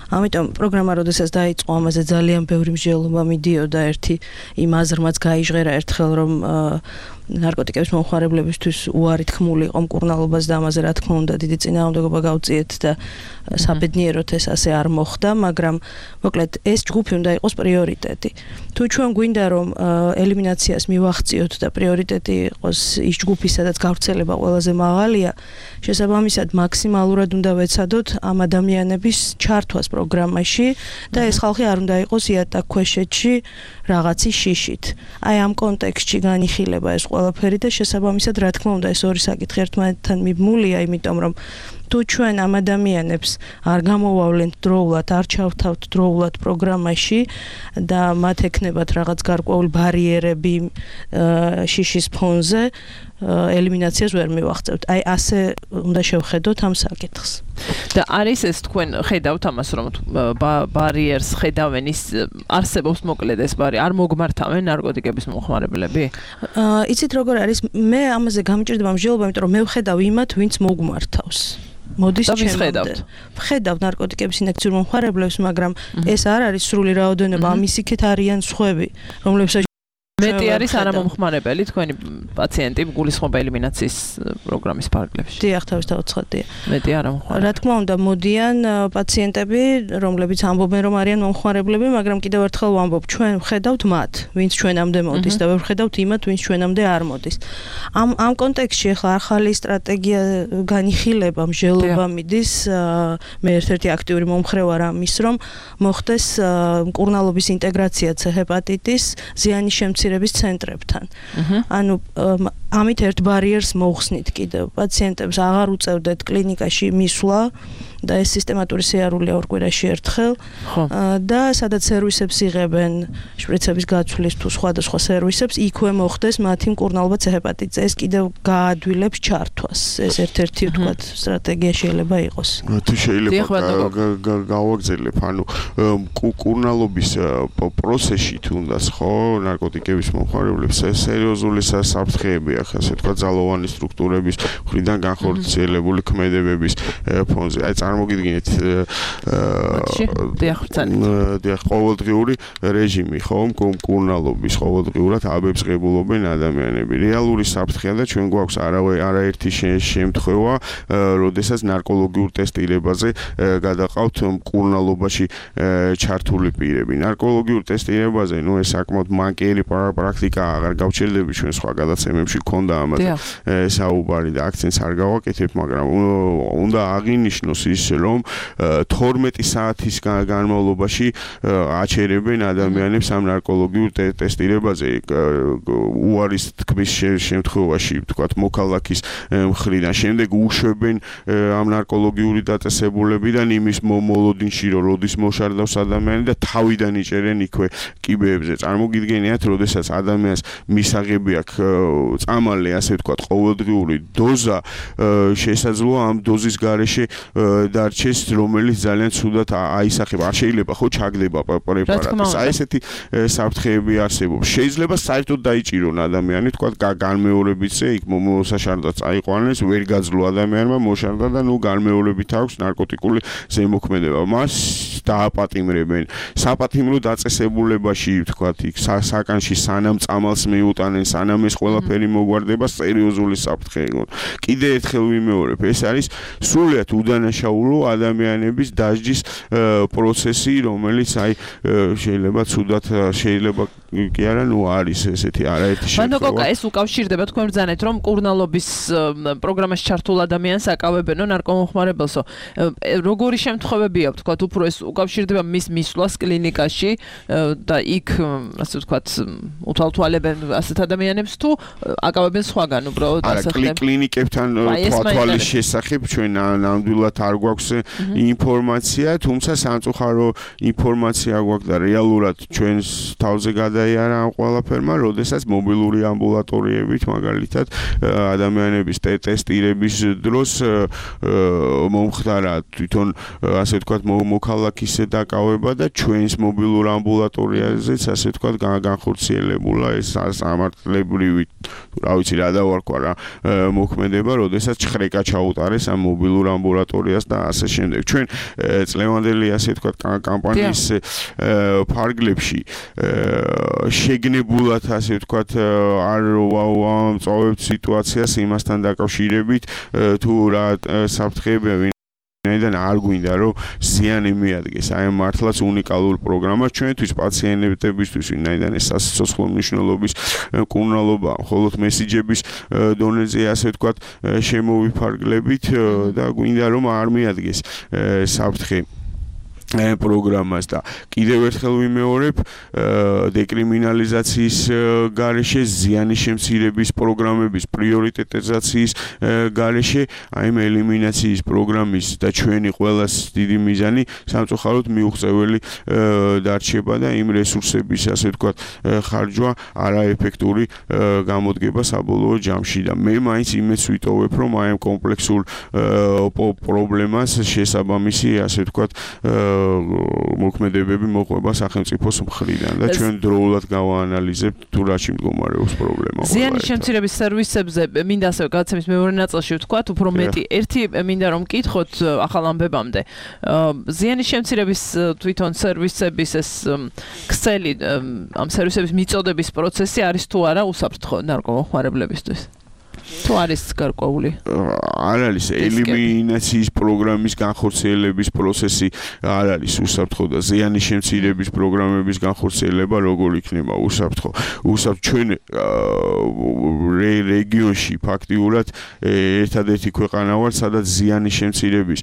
ამიტომ პროგრამა როდესაც დაიწყო, ამაზე ძალიან ბევრი მსჯელობა მიდიოდა, ერთი იმ აზრმაც გაიჟღერა ერთხელ, რომ ნარკოტიკების მომხმარებლებისთვის უარი თქმული იყო მკურნალობას და ამაზე რა თქმა უნდა დიდი წინააღმდეგობა გავწიეთ და საბედნიეროდ ეს ასე არ მოხდა, მაგრამ მოკლედ ეს ჯგუფი უნდა იყოს პრიორიტეტი. თუ ჩვენ გვინდა რომ ელიმინაციას მივახციოთ და პრიორიტეტი იყოს ის ჯგუფი, სადაც გავრცელება ყველაზე მაღალია, შესაბამისად მაქსიმალურად უნდა ვეცადოთ ამ ადამიანების ჩართვას პროგრამაში და ეს ხალხი არ უნდა იყოს იატაკქვეშეთში რაღაცის შიშით. აი ამ კონტექსტში განიხილება ეს ყველაფერი და შესაბამისად რა თქმა უნდა ეს ორი საკითხი ერთმანეთთან მიბმულია, იმიტომ რომ თუ ჩვენ ამ ადამიანებს არ გამოვავლენთ დროულად, არ ჩავთავთ დროულად პროგრამაში და მათ ექნებათ რაღაც გარკვეული ბარიერები შიშის ფონზე, ელიმინაციას ვერ მივახცევთ. აი ასე უნდა შევხედოთ ამ საკითხს. და არის ეს თქვენ ხედავთ ამას, რომ ბარიერს ხედავენ, ის არსებობს მოკლედ ეს ბარი, არ მოგმართავენ ნარკოტიკების მომხმარებლები? იცით როგორ არის, მე ამაზე გამჭირდება მსჯელობა, იმიტომ რომ მე ვხედავ იმათ, ვინც მოგმართავს. მოდის ჩემამდე. ვხედავ ნარკოტიკების ინექციურ მომხმარებლებს, მაგრამ ეს არ არის სრული რაოდენობა, ამის იქით არიან სხვები, რომლებსაც მეტი არის არამომხმარებელი თქვენი პაციენტი გულისხმობა ელიმინაციის პროგრამის ფარგლებში. დიახ, თავისთავად ცხადია. მეტი არამომხმარებელი. რა თქმა უნდა, მოდიან პაციენტები, რომლებიც ამბობენ, რომ არიან მომხმარებლები, მაგრამ კიდევ ერთხელ ვამბობ, ჩვენ ვხედავთ მათ, ვინც ჩვენამდე მოდის და ვერ ვხედავთ იმათ, ვინც ჩვენამდე არ მოდის. ამ კონტექსტში ახლა ახალი სტრატეგია განიხილება, მსჯელობა მიდის, მე ერთ-ერთი აქტიური მომხრე ვარ ამის, რომ მოხდეს მკურნალობის ინტეგრაცია ჰეპატიტის ზიანის შემცირების ცენტრებთან. ანუ ამით ერთ ბარიერს მოხსნით კიდევ პაციენტებს აღარ უწევდეთ კლინიკაში მისვლა და ეს სისტემატური სიარულია ორ კვირაში ერთხელ და სადაც სერვისებს იღებენ შპრიცების გაცვლის თუ სხვადასხვა სერვისებს იქვე მოხდეს მათი მკურნალობა C-ჰეპატიტზე ეს კიდევ გაადვილებს ჩართვას ეს ერთ-ერთი ვთქვათ სტრატეგია შეიძლება იყოს თუ შეიძლება გავაგზავნებ ანუ მკურნალობის პროცესში თუნდაც ხო ნარკოტიკების მომხმარებლებს სერიოზული საფრთხეები ახლა ასე ვთქვათ ძალოვანი სტრუქტურების მხრიდან განხორციელებული ქმედებების ფონზე აი წარმოგიდგინეთ ყოველდღიური რეჟიმი ხო მკურნალობის ყოველდღიურად აბებს ღებულობენ ადამიანები რეალური საფრთხეა და ჩვენ გვაქვს არაერთი შემთხვევა როდესაც ნარკოლოგიურ ტესტირებაზე გადაყავთ მკურნალობაში ჩართული პირები ნარკოლოგიურ ტესტირებაზე ნუ ეს საკმაოდ მანკიერი პრაქტიკა აღარ გავჩერდები ჩვენ სხვა გადაცემებში ქონდა ამაზე საუბარი და აქცენტს არ გავაკეთებ მაგრამ უნდა აღინიშნოს ის რომ 12 საათის განმავლობაში აჩერებენ ადამიანებს ამ ნარკოლოგიურ ტესტირებაზე უარის თქმის შემთხვევაში ვთქვათ მოქალაქის მხრიდან შემდეგ უშვებენ ამ ნარკოლოგიური დაწესებულებიდან იმის მოლოდინში რომ როდის მოშარდავს ადამიანი და თავიდან იჭერენ იქვე კიბეებზე წარმოგიდგენიათ როდესაც ადამიანს მისაღები აქვს წამალი ასე ვთქვათ ყოველდღიური დოზა შესაძლოა ამ დოზის გარეშე დარჩეს რომელიც ძალიან ცუდად აისახება არ შეიძლება ხო ჩაგდება პრეპარატი აი ესეთი საფრთხეები არსებობს შეიძლება საერთოდ დაიჭირონ ადამიანი თქვა განმეორებითზე იქ მოსაშარდად წაიყვანეს ვერ გაძლო ადამიანმა მოშარდა და ნუ განმეორებით აქვს ნარკოტიკული ზემოქმედება მას დააპატიმრებენ საპატიმრო დაწესებულებაში თქვა იქ საკანში სანამ წამალს მიუტანენ სანამ ეს ყველაფერი მოგვარდება სერიოზული საფრთხე იყო კიდე ერთხელ ვიმეორებ ეს არის სრულიად უდანაშაულო ადამიანების დასჯის პროცესი რომელიც აი შეიძლება ცუდად შეიძლება კი არა ნუ არის ესეთი არაერთი შემთხვევა მანდ ეს უკავშირდება თქვენ ბრძანეთ რომ მკურნალობის პროგრამაში ჩართულ ადამიანს აკავებენო ნარკომომხმარებელსო როგორი შემთხვევებია ვთქვათ უფრო ეს უკავშირდება მის მისვლას კლინიკაში და იქ ასე ვთქვათ უთვალთვალებენ ასეთ ადამიანებს თუ აკავებენ სხვაგან უბრალოდ ასე ხდება კლინიკებთან თვალის შესახებ ჩვენ ნამდვილად არ გვაქვს ინფორმაცია თუმცა სამწუხარო ინფორმაცია გვაქვს და რეალურად ჩვენს თავზე გადაიარა ამ ყველაფერმა როდესაც მობილური ამბულატორიებით მაგალითად ადამიანების ტესტირების დროს მომხდარა თვითონ ასე ვთქვათ მოქალაქის დაკავება და ჩვენს მობილურ ამბულატორიაზეც ასე ვთქვათ განხორციელებულა ეს სამართლებრივი რა ვიცი რა დავარქვა რა მოქმედება როდესაც ხრეკა ჩაუტარეს ამ მობილურ ამბულატორიას და ასე შემდეგ ჩვენ წლევანდელი ასე ვთქვათ კამპანიის ფარგლებში შეგნებულად ასე ვთქვათ არ ვამწოვებთ სიტუაციას იმასთან დაკავშირებით თუ რა საფრთხეებია ვინაიდან არ გვინდა რომ ზიანი მიადგეს აი მართლაც უნიკალურ პროგრამას ჩვენთვის პაციენტებისთვის ვინაიდან ეს სასიცოცხლო მნიშვნელობის მკურნალობა მხოლოდ მესიჯების დონეზე ასე ვთქვათ შემოვიფარგლებით და გვინდა რომ არ მიადგეს საფრთხე პროგრამას და კიდევ ერთხელ ვიმეორებ დეკრიმინალიზაციის გარეშე ზიანის შემცირების პროგრამების პრიორიტეტიზაციის გარეშე აი ელიმინაციის პროგრამის და ჩვენი ყველას დიდი მიზანი სამწუხაროდ მიუღწეველი დარჩება და იმ რესურსების ასე ვთქვათ ხარჯვა არაეფექტური გამოდგება საბოლოო ჯამში და მე მაინც იმეც ვიტოვებ რომ აი ამ კომპლექსურ პრობლემას შესაბამისი ასე ვთქვათ მოქმედებები მოყვება სახელმწიფოს მხრიდან და ჩვენ დროულად გავაანალიზებთ თუ რაში მდგომარეობს პრობლემა. ზიანის შემცირების სერვისებზე მინდა ასევე გადაცემის მეორე ნაწილში ვთქვათ, უფრო მეტი ერთი მინდა რომ მკითხოთ ახალ ამბებამდე. ზიანის შემცირების თვითონ სერვისების ეს ქსელი ამ სერვისების მიწოდების პროცესი არის თუ არა უსაფრთხო ნარკომომხმარებლებისთვის? თუ არის გარკვეული? არ არის ელიმინაციის პროგრამის განხორციელების პროცესი, არ არის უსაფრთხო და ზიანის შემცირების პროგრამების განხორციელება როგორ იქნება უსაფრთხო. ჩვენ რეგიონში ფაქტიურად ერთადერთი ქვეყანა ვართ, სადაც ზიანის შემცირების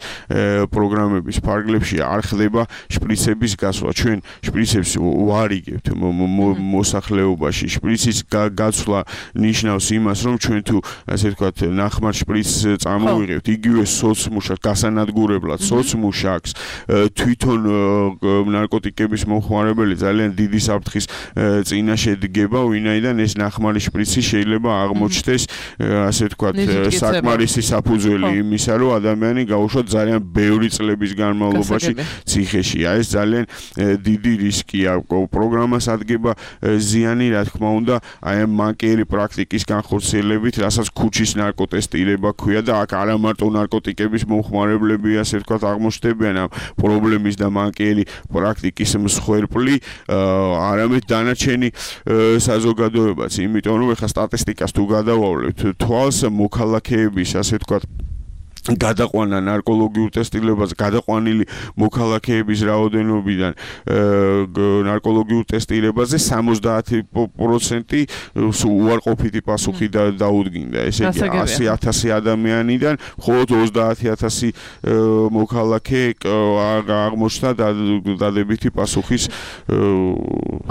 პროგრამების ფარგლებში არ ხდება შპრიცების გასვლა. ჩვენ შპრიცებს ვარიგებთ მოსახლეობაში. შპრიცის გაცვლა ნიშნავს იმას, რომ ჩვენ თუ ასე ვთქვათ, ნახმარ შპრიცს წამოვიღებთ, იგივე სოცმუშაკს, გასანადგურებლად სოცმუშაკს, თვითონ ნარკოტიკების მომხმარებელი ძალიან დიდი საფრთხის წინაშე დგება, ვინაიდან ეს ნახმარი შპრიცი შეიძლება აღმოჩნდეს, ასე ვთქვათ, საკმარისი საფუძველი იმისა, რომ ადამიანი გაუშვათ ძალიან ბევრი წლების განმავლობაში ციხეში. ეს ძალიან დიდი რისკია. პროგრამას ადგება ზიანი, რა თქმა უნდა, აი ამ მანკიერი პრაქტიკის განხორციელებით, რასაც ქუჩის ნარკოტესტირება ქვია და აქ არა მარტო ნარკოტიკების მომხმარებლები, ასე ვთქვათ, აღმოჩნდებიან ამ პრობლემის და მანკიერი პრაქტიკის მსხვერპლი, არამედ დანარჩენი საზოგადოებაც, იმიტომ რომ ეხლა სტატისტიკას თუ გადავავლებთ, თვალს მოქალაქეების, ასე ვთქვათ, გადაყვანა ნარკოლოგიურ ტესტირებაზე, გადაყვანილი მოქალაქეების რაოდენობიდან ნარკოლოგიურ ტესტირებაზე 70% უარყოფითი პასუხი დაუდგინდა. ესე იგი 100,000 ადამიანიდან მხოლოდ 30,000 მოქალაქე აღმოჩნდა დადებითი პასუხის.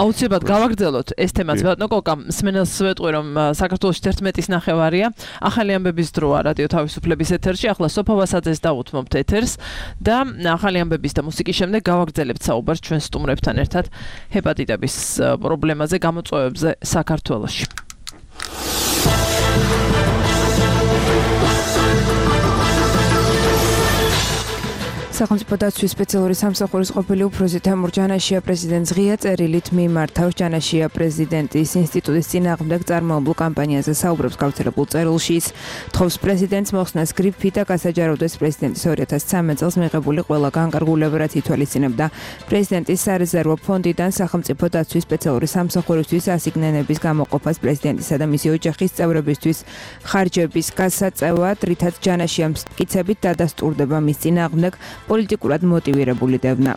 აუცილებლად გავაგრძელოთ ეს თემაც, ბატონო კოკა, მსმენელს ვეტყვი, რომ საქართველოში 11-ის ნახევარია, ახალი ამბების დროა რადიო თავისუფლების ეთერში. სოფა ვასაძეს დავუთმობთ ეთერს და ახალი ამბების და მუსიკის შემდეგ გავაგრძელებთ საუბარს ჩვენ სტუმრებთან ერთად ჰეპატიტების პრობლემაზე, გამოწვევებზე საქართველოში. სახელმწიფო დაცვის სპეციალური სამსახურის ყოფილი უფროსი თემურ ჯანაშია პრეზიდენტს ღია წერილით მიმართავს. ჯანაშია პრეზიდენტის ინსტიტუტის წინააღმდეგ წარმოებულ კამპანიაზე საუბრობს გავრცელებულ წერილში. თხოვს პრეზიდენტს მოხსნას გრიფი და გასაჯაროვდეს პრეზიდენტის 2013 წელს მიღებული ყველა განკარგულება, რაც ითვალისწინებდა პრეზიდენტის სარეზერვო ფონდიდან სახელმწიფო დაცვის სპეციალური სამსახურისთვის ასიგნენების გამოყოფას პრეზიდენტისა და მისი ოჯახის წევრებისთვის ხარჯების გასაწევად, რითაც ჯანაშიამ მტკიცებით დადასტურდება მის წინააღმდეგ პოლიტიკურად მოტივირებული დევნა.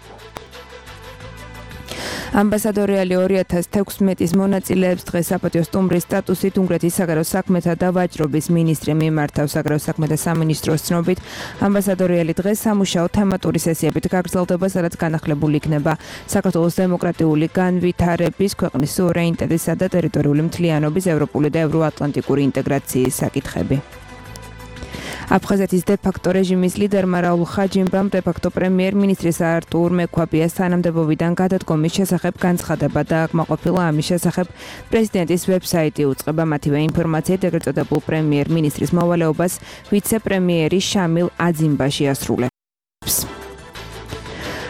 ამბასადორი ალი 2016-ის მონაწილეებს დღეს საპატიო სტუმრის სტატუსით უნგრეთის საგარეო საქმეთა და ვაჭრობის მინისტრი მიმართავს. საგარეო საქმეთა სამინისტროს ცნობით, ამბასადორი ალი დღეს სამუშაო თემატური სესიებით გაგრძელდება, სადაც განახლებული იქნება საქართველოს დემოკრატიული განვითარების, ქვეყნის სუვერენიტეტისა და ტერიტორიული მთლიანობის, ევროპული და ევროატლანტიკური ინტეგრაციის საკითხები. აფხაზეთის დე-ფაქტო რეჟიმის ლიდერმა რაულ ხაჯიმბამ დე-ფაქტო პრემიერ-მინისტრის არტურ მექვაბიას თანამდებობიდან გადადგომის შესახებ განცხადება დააკმაყოფილა. ამის შესახებ პრეზიდენტის ვებსაიტი უწყება მათივე ინფორმაციით ეგრეთ წოდებულ პრემიერ-მინისტრის მოვალეობას ვიცე-პრემიერი შამილ აძიმბაში ასრულებს.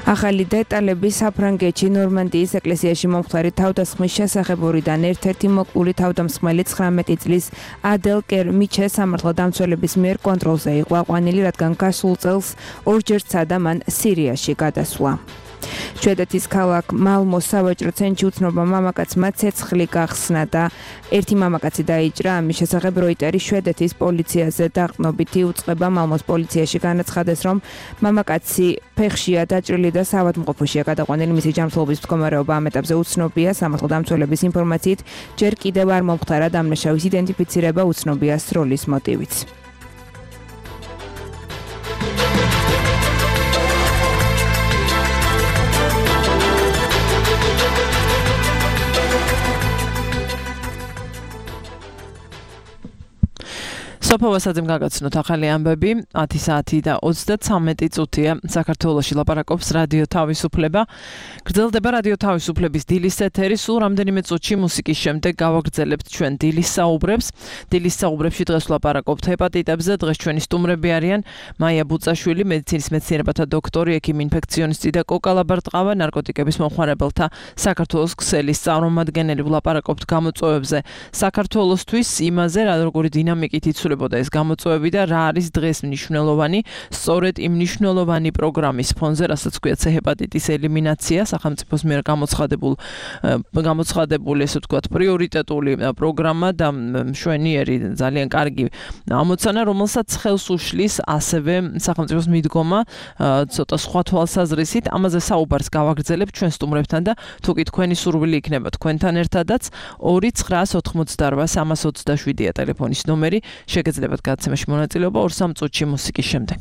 ახალი დეტალები საფრანგეთში ნორმანდიის ეკლესიაში მომხდარი თავდასხმის შესახებურიდან ერთ-ერთი მოკლული თავდამსხმელი 19 წლის ადელ კერმიჩეს სამართალდამცველების მიერ კონტროლზე იყო აყვანილი, რადგან გასულ წელს ორჯერ სცადა მან სირიაში გადასვლა. შვედეთის ქალაქ მალმოს სავაჭრო ცენტრში უცნობმა მამაკაცმა ცეცხლი გახსნა და ერთი მამაკაცი დაიჭრა. ამის შესახებ როიტერი შვედეთის პოლიციაზე დაყრდნობითი უწყება. მალმოს პოლიციაში განაცხადეს, რომ მამაკაცი ფეხშია დაჭრილი და საავადმყოფოშია გადაყვანილი. მისი ჯანმრთელობის მდგომარეობა ამ ეტაპზე უცნობია. სამართალდამცველების ინფორმაციით ჯერ კიდევ არ მომხდარა დამნაშავის იდენტიფიცირება, უცნობია სროლის მოტივიც. სოფა ვასაძემ გაგაცნოთ ახალი ამბები. 10 საათი და 33 წუთია. საქართველოში ლაპარაკობს რადიო თავისუფლება. გრძელდება რადიო თავისუფლების დილის ეთერი. სულ რამდენიმე წუთში მუსიკის შემდეგ გავაგრძელებთ ჩვენ დილის საუბრებს. დილის საუბრებში დღეს ვლაპარაკობთ ჰეპატიტებზე. დღეს ჩვენი სტუმრები არიან მაია ბუწაშვილი, მედიცინის მეცნიერებათა დოქტორი, ექიმი ინფექციონისტი და კოკა ლაბარტყავა, ნარკოტიკების მომხმარებელთა საქართველოს ქსელის წარმომადგენელი. ვლაპარაკობთ გამოწვევებზე საქართველოსთვის, იმაზე, რა როგორი დინამიკით იცვლება იცვლებოდა ეს გამოწვევები და რა არის დღეს მნიშვნელოვანი, სწორედ იმ მნიშვნელოვანი პროგრამის ფონზე, რასაც ქვია C ჰეპატიტის ელიმინაცია, სახელმწიფოს მიერ გამოცხადებული, ესე ვთქვათ, პრიორიტეტული პროგრამა და მშვენიერი, ძალიან კარგი ამოცანა, რომელსაც ხელს უშლის ასევე სახელმწიფოს მიდგომა ცოტა სხვა თვალსაზრისით. ამაზე საუბარს გავაგრძელებ ჩვენ სტუმრებთან და თუ კი თქვენი სურვილი იქნება თქვენთან ერთადაც 2-988-327-ია ტელეფონის ნომერი. შეგეძლებათ გადაცემაში მონაწილეობა 2-3 წუთში მუსიკის შემდეგ.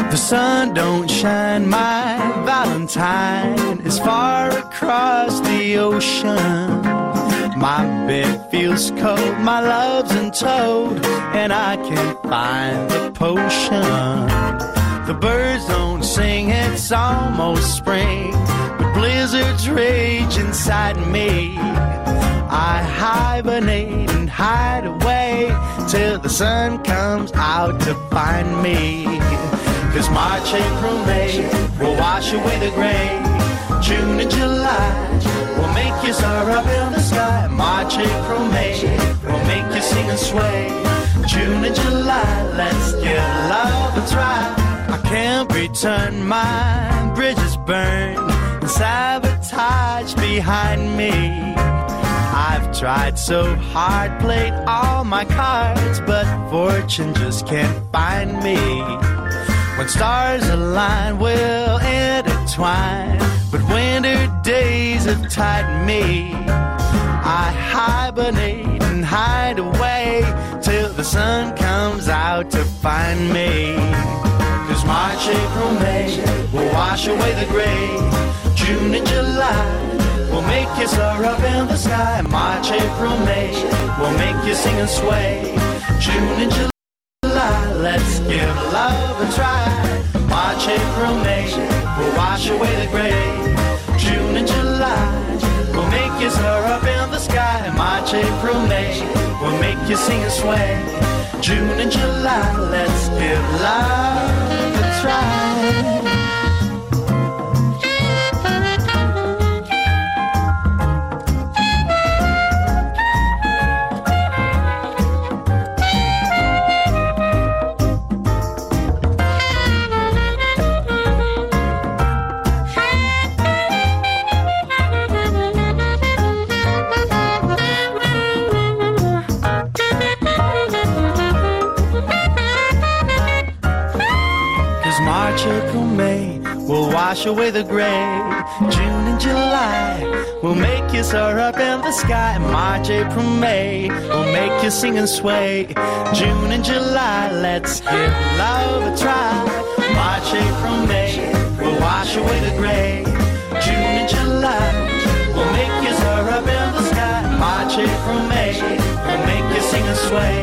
The sun don't shine, my Valentine is far across the ocean. My bed feels cold, my love's in toad, and I can't find the potion. The birds don't sing, it's almost spring, but blizzards rage inside me. I hibernate and hide away till the sun comes out to find me. 'Cause March, April, May will wash away the gray. June and July will make you soar up in the sky. March, April, May will make you sing and sway. June and July, let's give love a try. I can't return, my bridges burn and sabotage behind me. I've tried so hard, played all my cards, but fortune just can't find me. When stars align, we'll intertwine, but winter days have tightened me. I hibernate and hide away till the sun comes out to find me. 'Cause March, April, May will wash away the gray. June and July will make you soar up in the sky. March, April, May will make you sing and sway. June and July, let's give love a try. March, April, May will wash away the gray. June and July will make you soar up in the sky. March, April, May will make you sing and sway. June and July, let's give love a try. March, April, May will wash away the gray. June and July will make you soar up in the sky. March, April, May will make you sing and sway. June and July, let's give love a try. March, April, May will wash away the gray. June and July will make you soar up in the sky. March, April, May will make you sing and sway.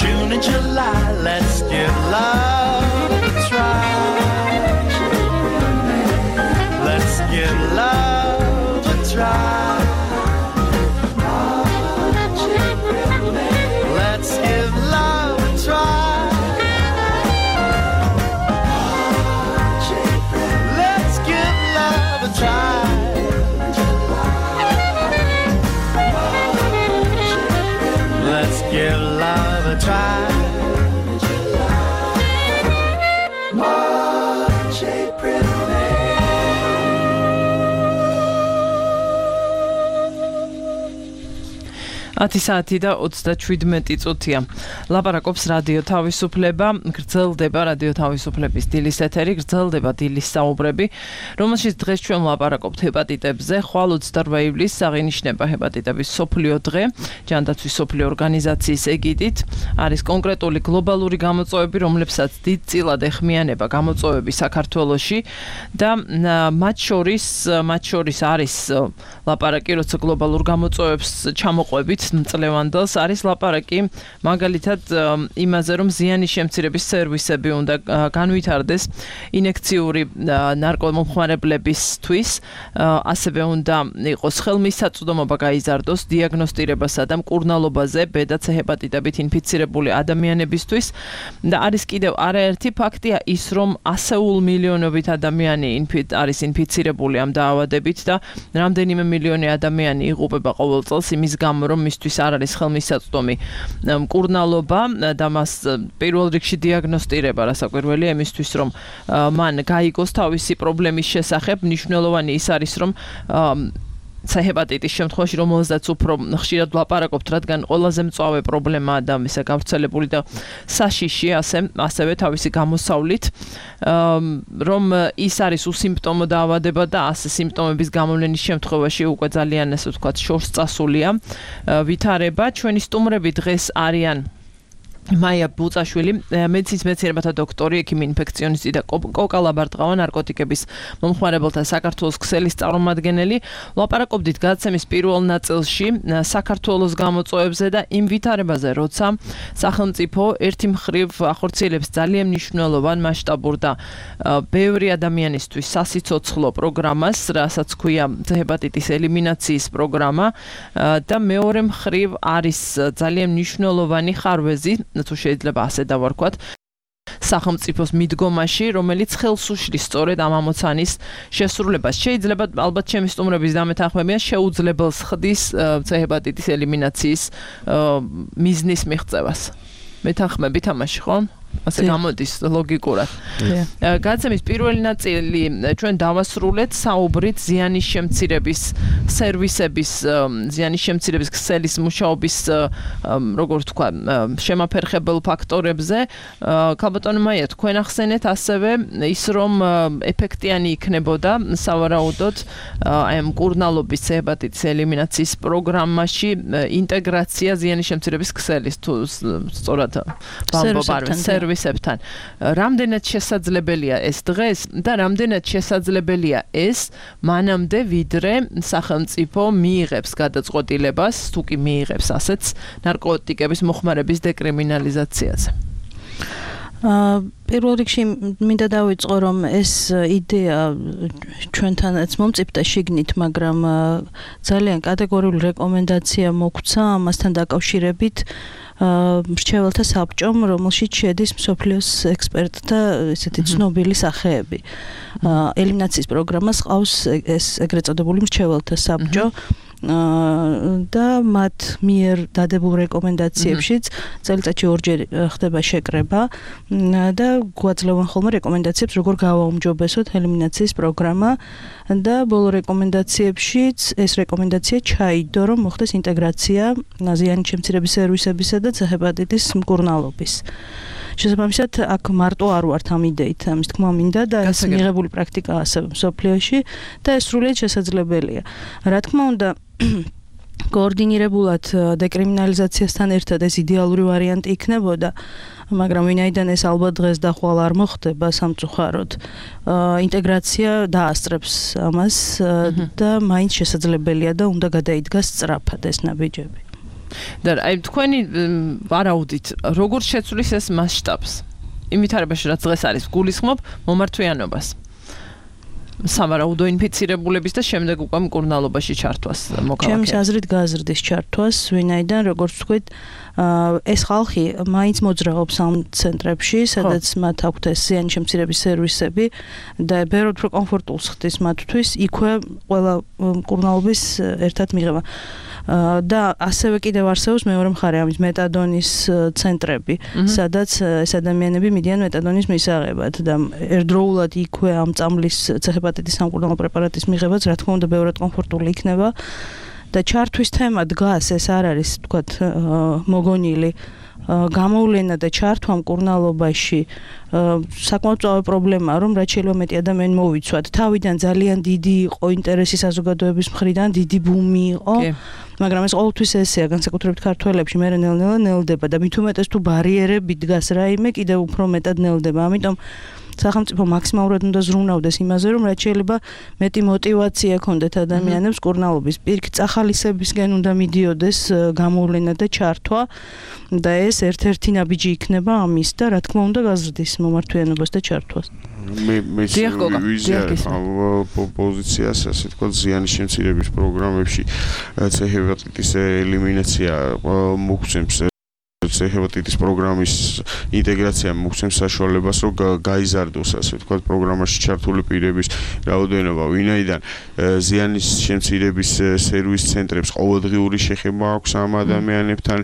June and July, let's give love a try. Let's give love a try. Let's give love a try. Let's give love a try. Let's give love a try. March, April, Ათი საათი და 37 წუთია. ლაპარაკობს რადიო თავისუფლება, გრძელდება რადიო თავისუფლების დილის ეთერი, გრძელდება დილის საუბრები, რომელშიც დღეს ჩვენ ლაპარაკობთ ჰეპატიტებზე. ხვალ 28 ივლისს აღინიშნება ჰეპატიტების მსოფლიო დღე, ჯანდაცვის მსოფლიო ორგანიზაციის ეგიდით. არის კონკრეტული გლობალური გამოწვევები, რომლებსაც დიდწილად ეხმიანება გამოწვევები საქართველოში და მათ შორის არის ლაპარაკი, როცა გლობალურ გამოწვევებს ჩამოყვებით მწლევანდელს არის ლაპარაკი მაგალითად იმაზე რომ ზიანის შემცირების სერვისები უნდა განვითარდეს ინექციური ნარკომომხმარებლებისთვის ასევე უნდა იყოს ხელმისაწვდომობა გაიზარდოს დიაგნოსტირებასა და მკურნალობაზე ბედაც ჰეპატიტებით ინფიცირებული ადამიანებისთვის და არის კიდევ არაერთი ფაქტია ის რომ ასეულ მილიონობით ადამიანი არის ინფიცირებული ამ დაავადებით და რამდენიმე მილიონი ადამიანი იღუპება ყოველ წელს იმის გამო რომ მისთვის არ არის ხელმისაწვდომი მკურნალობა და მას პირველ რიგში დიაგნოსტირება რასაკვირველია იმისთვის რომ მან გაიგოს თავისი პრობლემის შესახებ მნიშვნელოვანი ის არის რომ ჰეპატიტის შემთხვევაში რომელზეც უფრო ხშირად ვლაპარაკობთ, რადგან ყველაზე მწვავე პრობლემაა და მისა გავრცელებული და საშიში ასევე თავისი გამოსავლით, რომ ის არის უსიმპტომო დაავადება და ასე სიმპტომების გამოვლენის შემთხვევაში უკვე ძალიან ასე ვთქვათ შორს წასულია ვითარება. ჩვენი სტუმრები დღეს არიან მაია ბუწაშვილი, მედიცინის მეცნიერებათა დოქტორი, ექიმი ინფექციონისტი და კოკა ლაბარტყავა ნარკოტიკების მომხმარებელთა საქართველოს ქსელის წარმომადგენელი. ვლაპარაკობდით გადაცემის პირველ ნაწილში საქართველოს გამოწვევებზე და იმ ვითარებაზე, როცა სახელმწიფო ერთი მხრივ ახორციელებს ძალიან მნიშვნელოვან მასშტაბურ და ბევრი ადამიანისთვის სასიცოცხლო პროგრამას, რასაც ქვია ჰეპატიტის ელიმინაციის პროგრამა და მეორე მხრივ არის ძალიან მნიშვნელოვანი ხარვეზი თუ შეიძლება ასე დავარქვათ სახელმწიფოს მიდგომაში, რომელიც ხელს უშლის სწორედ ამ ამოცანის შესრულებას. შეიძლება ალბათ ჩემი სტუმრების დამეთანხმებიან შეუძლებელს ხდის ჰეპატიტის ელიმინაციის მიზნის მიღწევას. მეთანხმებით ამაში, ხო? ასე გამოდის ლოგიკურად. გადაცემის პირველი ნაწილი ჩვენ დავასრულეთ საუბრით ზიანის შემცირების სერვისების, ზიანის შემცირების ქსელის მუშაობის, როგორ ვთქვა, შემაფერხებელ ფაქტორებზე. ქალბატონო მაია, თქვენ ახსენეთ ასევე ის, რომ ეფექტიანი იქნებოდა სავარაუდოდ აი ამ მკურნალობის ჰეპატიტის ელიმინაციის პროგრამაში ინტეგრაცია ზიანის შემცირების ქსელის თუ სწორად ბამბობარვეს სერვისებთან. რამდენად შესაძლებელია ეს დღეს და რამდენად შესაძლებელია ეს მანამდე ვიდრე სახელმწიფო მიიღებს გადაწყვეტილებას, თუ კი მიიღებს ასეც ნარკოტიკების მოხმარების დეკრიმინალიზაციაზე. პირველ რიგში მინდა დავიწყო რომ ეს იდეა ჩვენთანაც მომწიფდა შიგნით, მაგრამ ძალიან კატეგორიული რეკომენდაცია მოგვცა ამასთან დაკავშირებით მრჩეველთა საბჭომ, რომელშიც შედის მსოფლიოს ექსპერტთა ესეთი ცნობილი სახეები. ელიმინაციის პროგრამას ყავს ეს ეგრეთ წოდებული მრჩეველთა საბჭო და მათ მიერ დადებულ რეკომენდაციებშიც წელიწადში ორჯერ ხდება შეკრება და გვაძლევენ ხოლმე რეკომენდაციებს, როგორ გავაუმჯობესოთ ელიმინაციის პროგრამა და ბოლო რეკომენდაციებშიც ეს რეკომენდაცია ჩაიდო, რომ მოხდეს ინტეგრაცია ზიანის შემცირების სერვისებისა და ჰეპატიტის მკურნალობის. შესაბამისად, აქ მარტო არ ვართ ამ იდეით, ამის თქმა მინდა და ეს მიღებული პრაქტიკაა ასევე მსოფლიოში და ეს სრულიად შესაძლებელია. რა თქმა უნდა, კოორდინირებულად დეკრიმინალიზაციასთან ერთად ეს იდეალური ვარიანტი იქნებოდა, მაგრამ ვინაიდან ეს ალბათ დღეს და ხვალ არ მოხდება სამწუხაროდ, ინტეგრაცია დაასწრებს ამას და მაინც შესაძლებელია და უნდა გადაიდგას სწრაფად ეს ნაბიჯები. და აი თქვენი ვარაუდით როგორ შეცვლის ეს მასშტაბს? იმ ვითარებაში რაც დღეს არის გულისხმობ მომართვიანობას. სავარაუდო ინფიცირებულების და შემდეგ უკვე მკურნალობაში ჩართვას მოკავაკე. ჩემს აზრით გაზრდის ჩართვას, ვინაიდან როგორც ვთქვით, ეს ხალხი მაინც მოძრაობს ამ ცენტრებში, სადაც მათ აქვთ ეს ზიანის შემცირების სერვისები და ბევრად უფრო კომფორტულს ხდის მათთვის იქვე ყველა მკურნალობის ერთად მიღება. და ასევე კიდევ არსებობს მეორე მხარე ამის მეტადონის ცენტრები, სადაც ეს ადამიანები მიდიან მეტადონის მისაღებად და ერთდროულად იქვე ამ წამლის ჰეპატიტის სამკურნალო პრეპარატის მიღებაც რა თქმა უნდა ბევრად კომფორტული იქნება და ჩართვის თემა დგას, ეს არ არის თქვათ მოგონილი გამოვლენა და ჩართვა მკურნალობაში საკმაოდ წავე პრობლემაა, რომ რაც შეიძლება მეტი ადამიანი მოვიცვათ. თავიდან ძალიან დიდი იყო ინტერესი საზოგადოების მხრიდან, დიდი ბუმი იყო, მაგრამ ეს ყოველთვის ესეა, განსაკუთრებით ქართველებში, მე ნელ-ნელა ნელდება და მით უმეტეს თუ ბარიერები დგას რაიმე, კიდევ უფრო მეტად ნელდება. ამიტომ სახელმწიფო მაქსიმალურად უნდა ზრუნავდეს იმაზე, რომ რაც შეიძლება მეტი мотиваცია ქონდეთ ადამიანებს კურნალობის პირიქით წახალისებისგან უნდა მიდიოდეს გამოვლენა და ჩართვა და ეს ერთ-ერთი ნაბიჯი იქნება ამის და რა თქმა უნდა გაზრდის მომართვიანობას და ჩართვას. მე პოზიციას ასე თქვა ზიანის შემცირების პროგრამებში C-ჰეპატიტის ელიმინაცია მოგცემს C-ჰეპატიტის პროგრამის ინტეგრაცია მოგცემს საშუალებას რომ გაიზარდოს ასე ვთქვათ პროგრამაში ჩართული პირების რაოდენობა ვინაიდან ზიანის შემცირების სერვის ცენტრებს ყოველდღიური შეხება აქვს ამ ადამიანებთან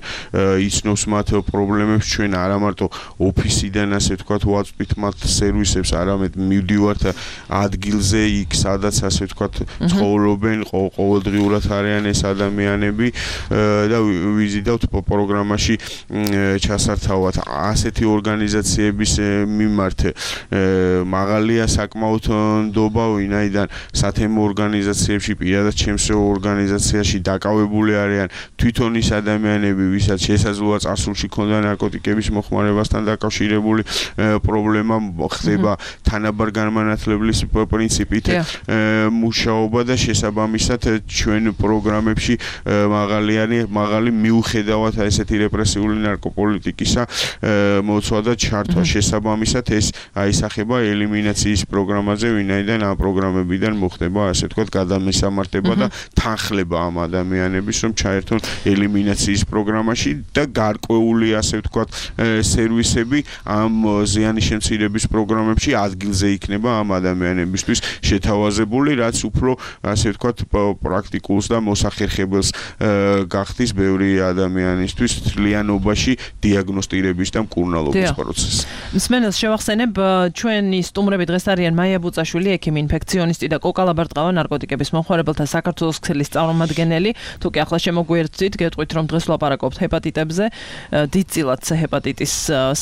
იცნობს მათ პრობლემებს ჩვენ არა მარტო ოფისიდან ასე ვთქვათ ვაწვით მათ სერვისებს არამედ მივდივართ ადგილზე იქ სადაც ასე ვთქვათ ცხოვრობენ ყოველდღიურად არიან ეს ადამიანები და ვიზიდავთ პროგრამაში ჩასართავად ასეთი ორგანიზაციების მიმართ მაღალია საკმაოდ ნდობა ვინაიდან სათემო ორგანიზაციებში პირადად ჩემს ორგანიზაციაში დაკავებული არიან თვითონ ის ადამიანები ვისაც შესაძლოა წარსულში ქონდა ნარკოტიკების მოხმარებასთან დაკავშირებული პრობლემა ხდება თანაბარ განმანათლებლების პრინციპით მუშაობა და შესაბამისად ჩვენ პროგრამებში მაღალი მიუხედავად ესეთი რეპრესიული ნარკოპოლიტიკისა მოცვა და ჩართვა შესაბამისად ეს აისახება ელიმინაციის პროგრამაზე ვინაიდან ამ პროგრამებიდან მოხდება ასე ვთქვათ გადამესამართება და თანხლება ამ ადამიანების რომ ჩაერთონ ელიმინაციის პროგრამაში და გარკვეული ასე ვთქვათ სერვისები ამ ზიანის შემცირების პროგრამებში ადგილზე იქნება ამ ადამიანებისთვის შეთავაზებული რაც უფრო ასე ვთქვათ პრაქტიკულს და მოსახერხებელს გახდის ბევრი ადამიანისთვის თლიანობაში დიაგნოსტირების და მკურნალობის პროცესი. მსმენელს შევახსენებ ჩვენი სტუმრები დღეს არიან მაია ბუწაშვილი, ექიმი ინფექციონისტი და კოკა ლაბარტყავა ნარკოტიკების მომხმარებელთა საქართველოს ქსელის წარმომადგენელი. თუ კი ახლა შემოგვიერთდით, გეტყვით რომ დღეს ვლაპარაკობთ ჰეპატიტებზე, დიდწილად C-ჰეპატიტის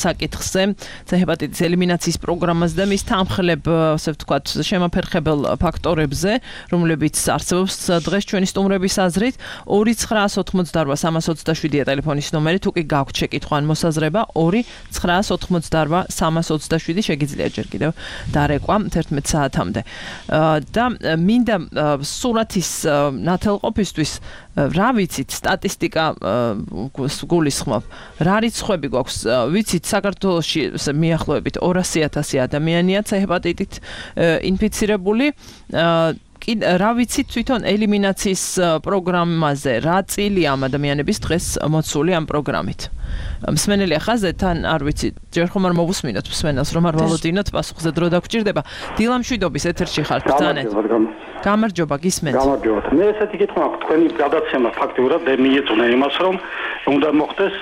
საკითხზე, C-ჰეპატიტის ელიმინაციის პროგრამაზე და მის თანხლებ, ასე ვთქვათ, შემაფერხებელ ფაქტორებზე, რომლებიც არსებობს დღეს ჩვენი სტუმრების აზრით 2988327 ტელეფონის ნომერი თუ კი გაქვთ შეკითხვა ან მოსაზრება 2988327 შეგიძლიათ ჯერ კიდევ დარეკვა 11 საათამდე. და მინდა სურათის ნათელყოფისთვის რა ვიცით სტატისტიკა გულისხმობ რა რიცხვები გვაქვს ვიცით საქართველოში მიახლოებით 200,000 ადამიანია C-ჰეპატიტით ინფიცირებული რა ვიცით თვითონ ელიმინაციის პროგრამაზე რა წილი ამ ადამიანების დღეს მოცული ამ პროგრამით მსმენელი ახაზე თან არ ვიცი ჯერ ხომ არ მოვუსმინოთ მსმენელს რომ არ ვალოდინოთ პასუხზე დრო დაგჭირდება დილა მშვიდობის ეთერში ხართ ბრძანეთ გამარჯობა გისმენთ გამარჯობა მე ესეთი კითხვა აქვს თქვენი გადაცემა ფაქტიურად მიეწონა იმას რომ უნდა მოხდეს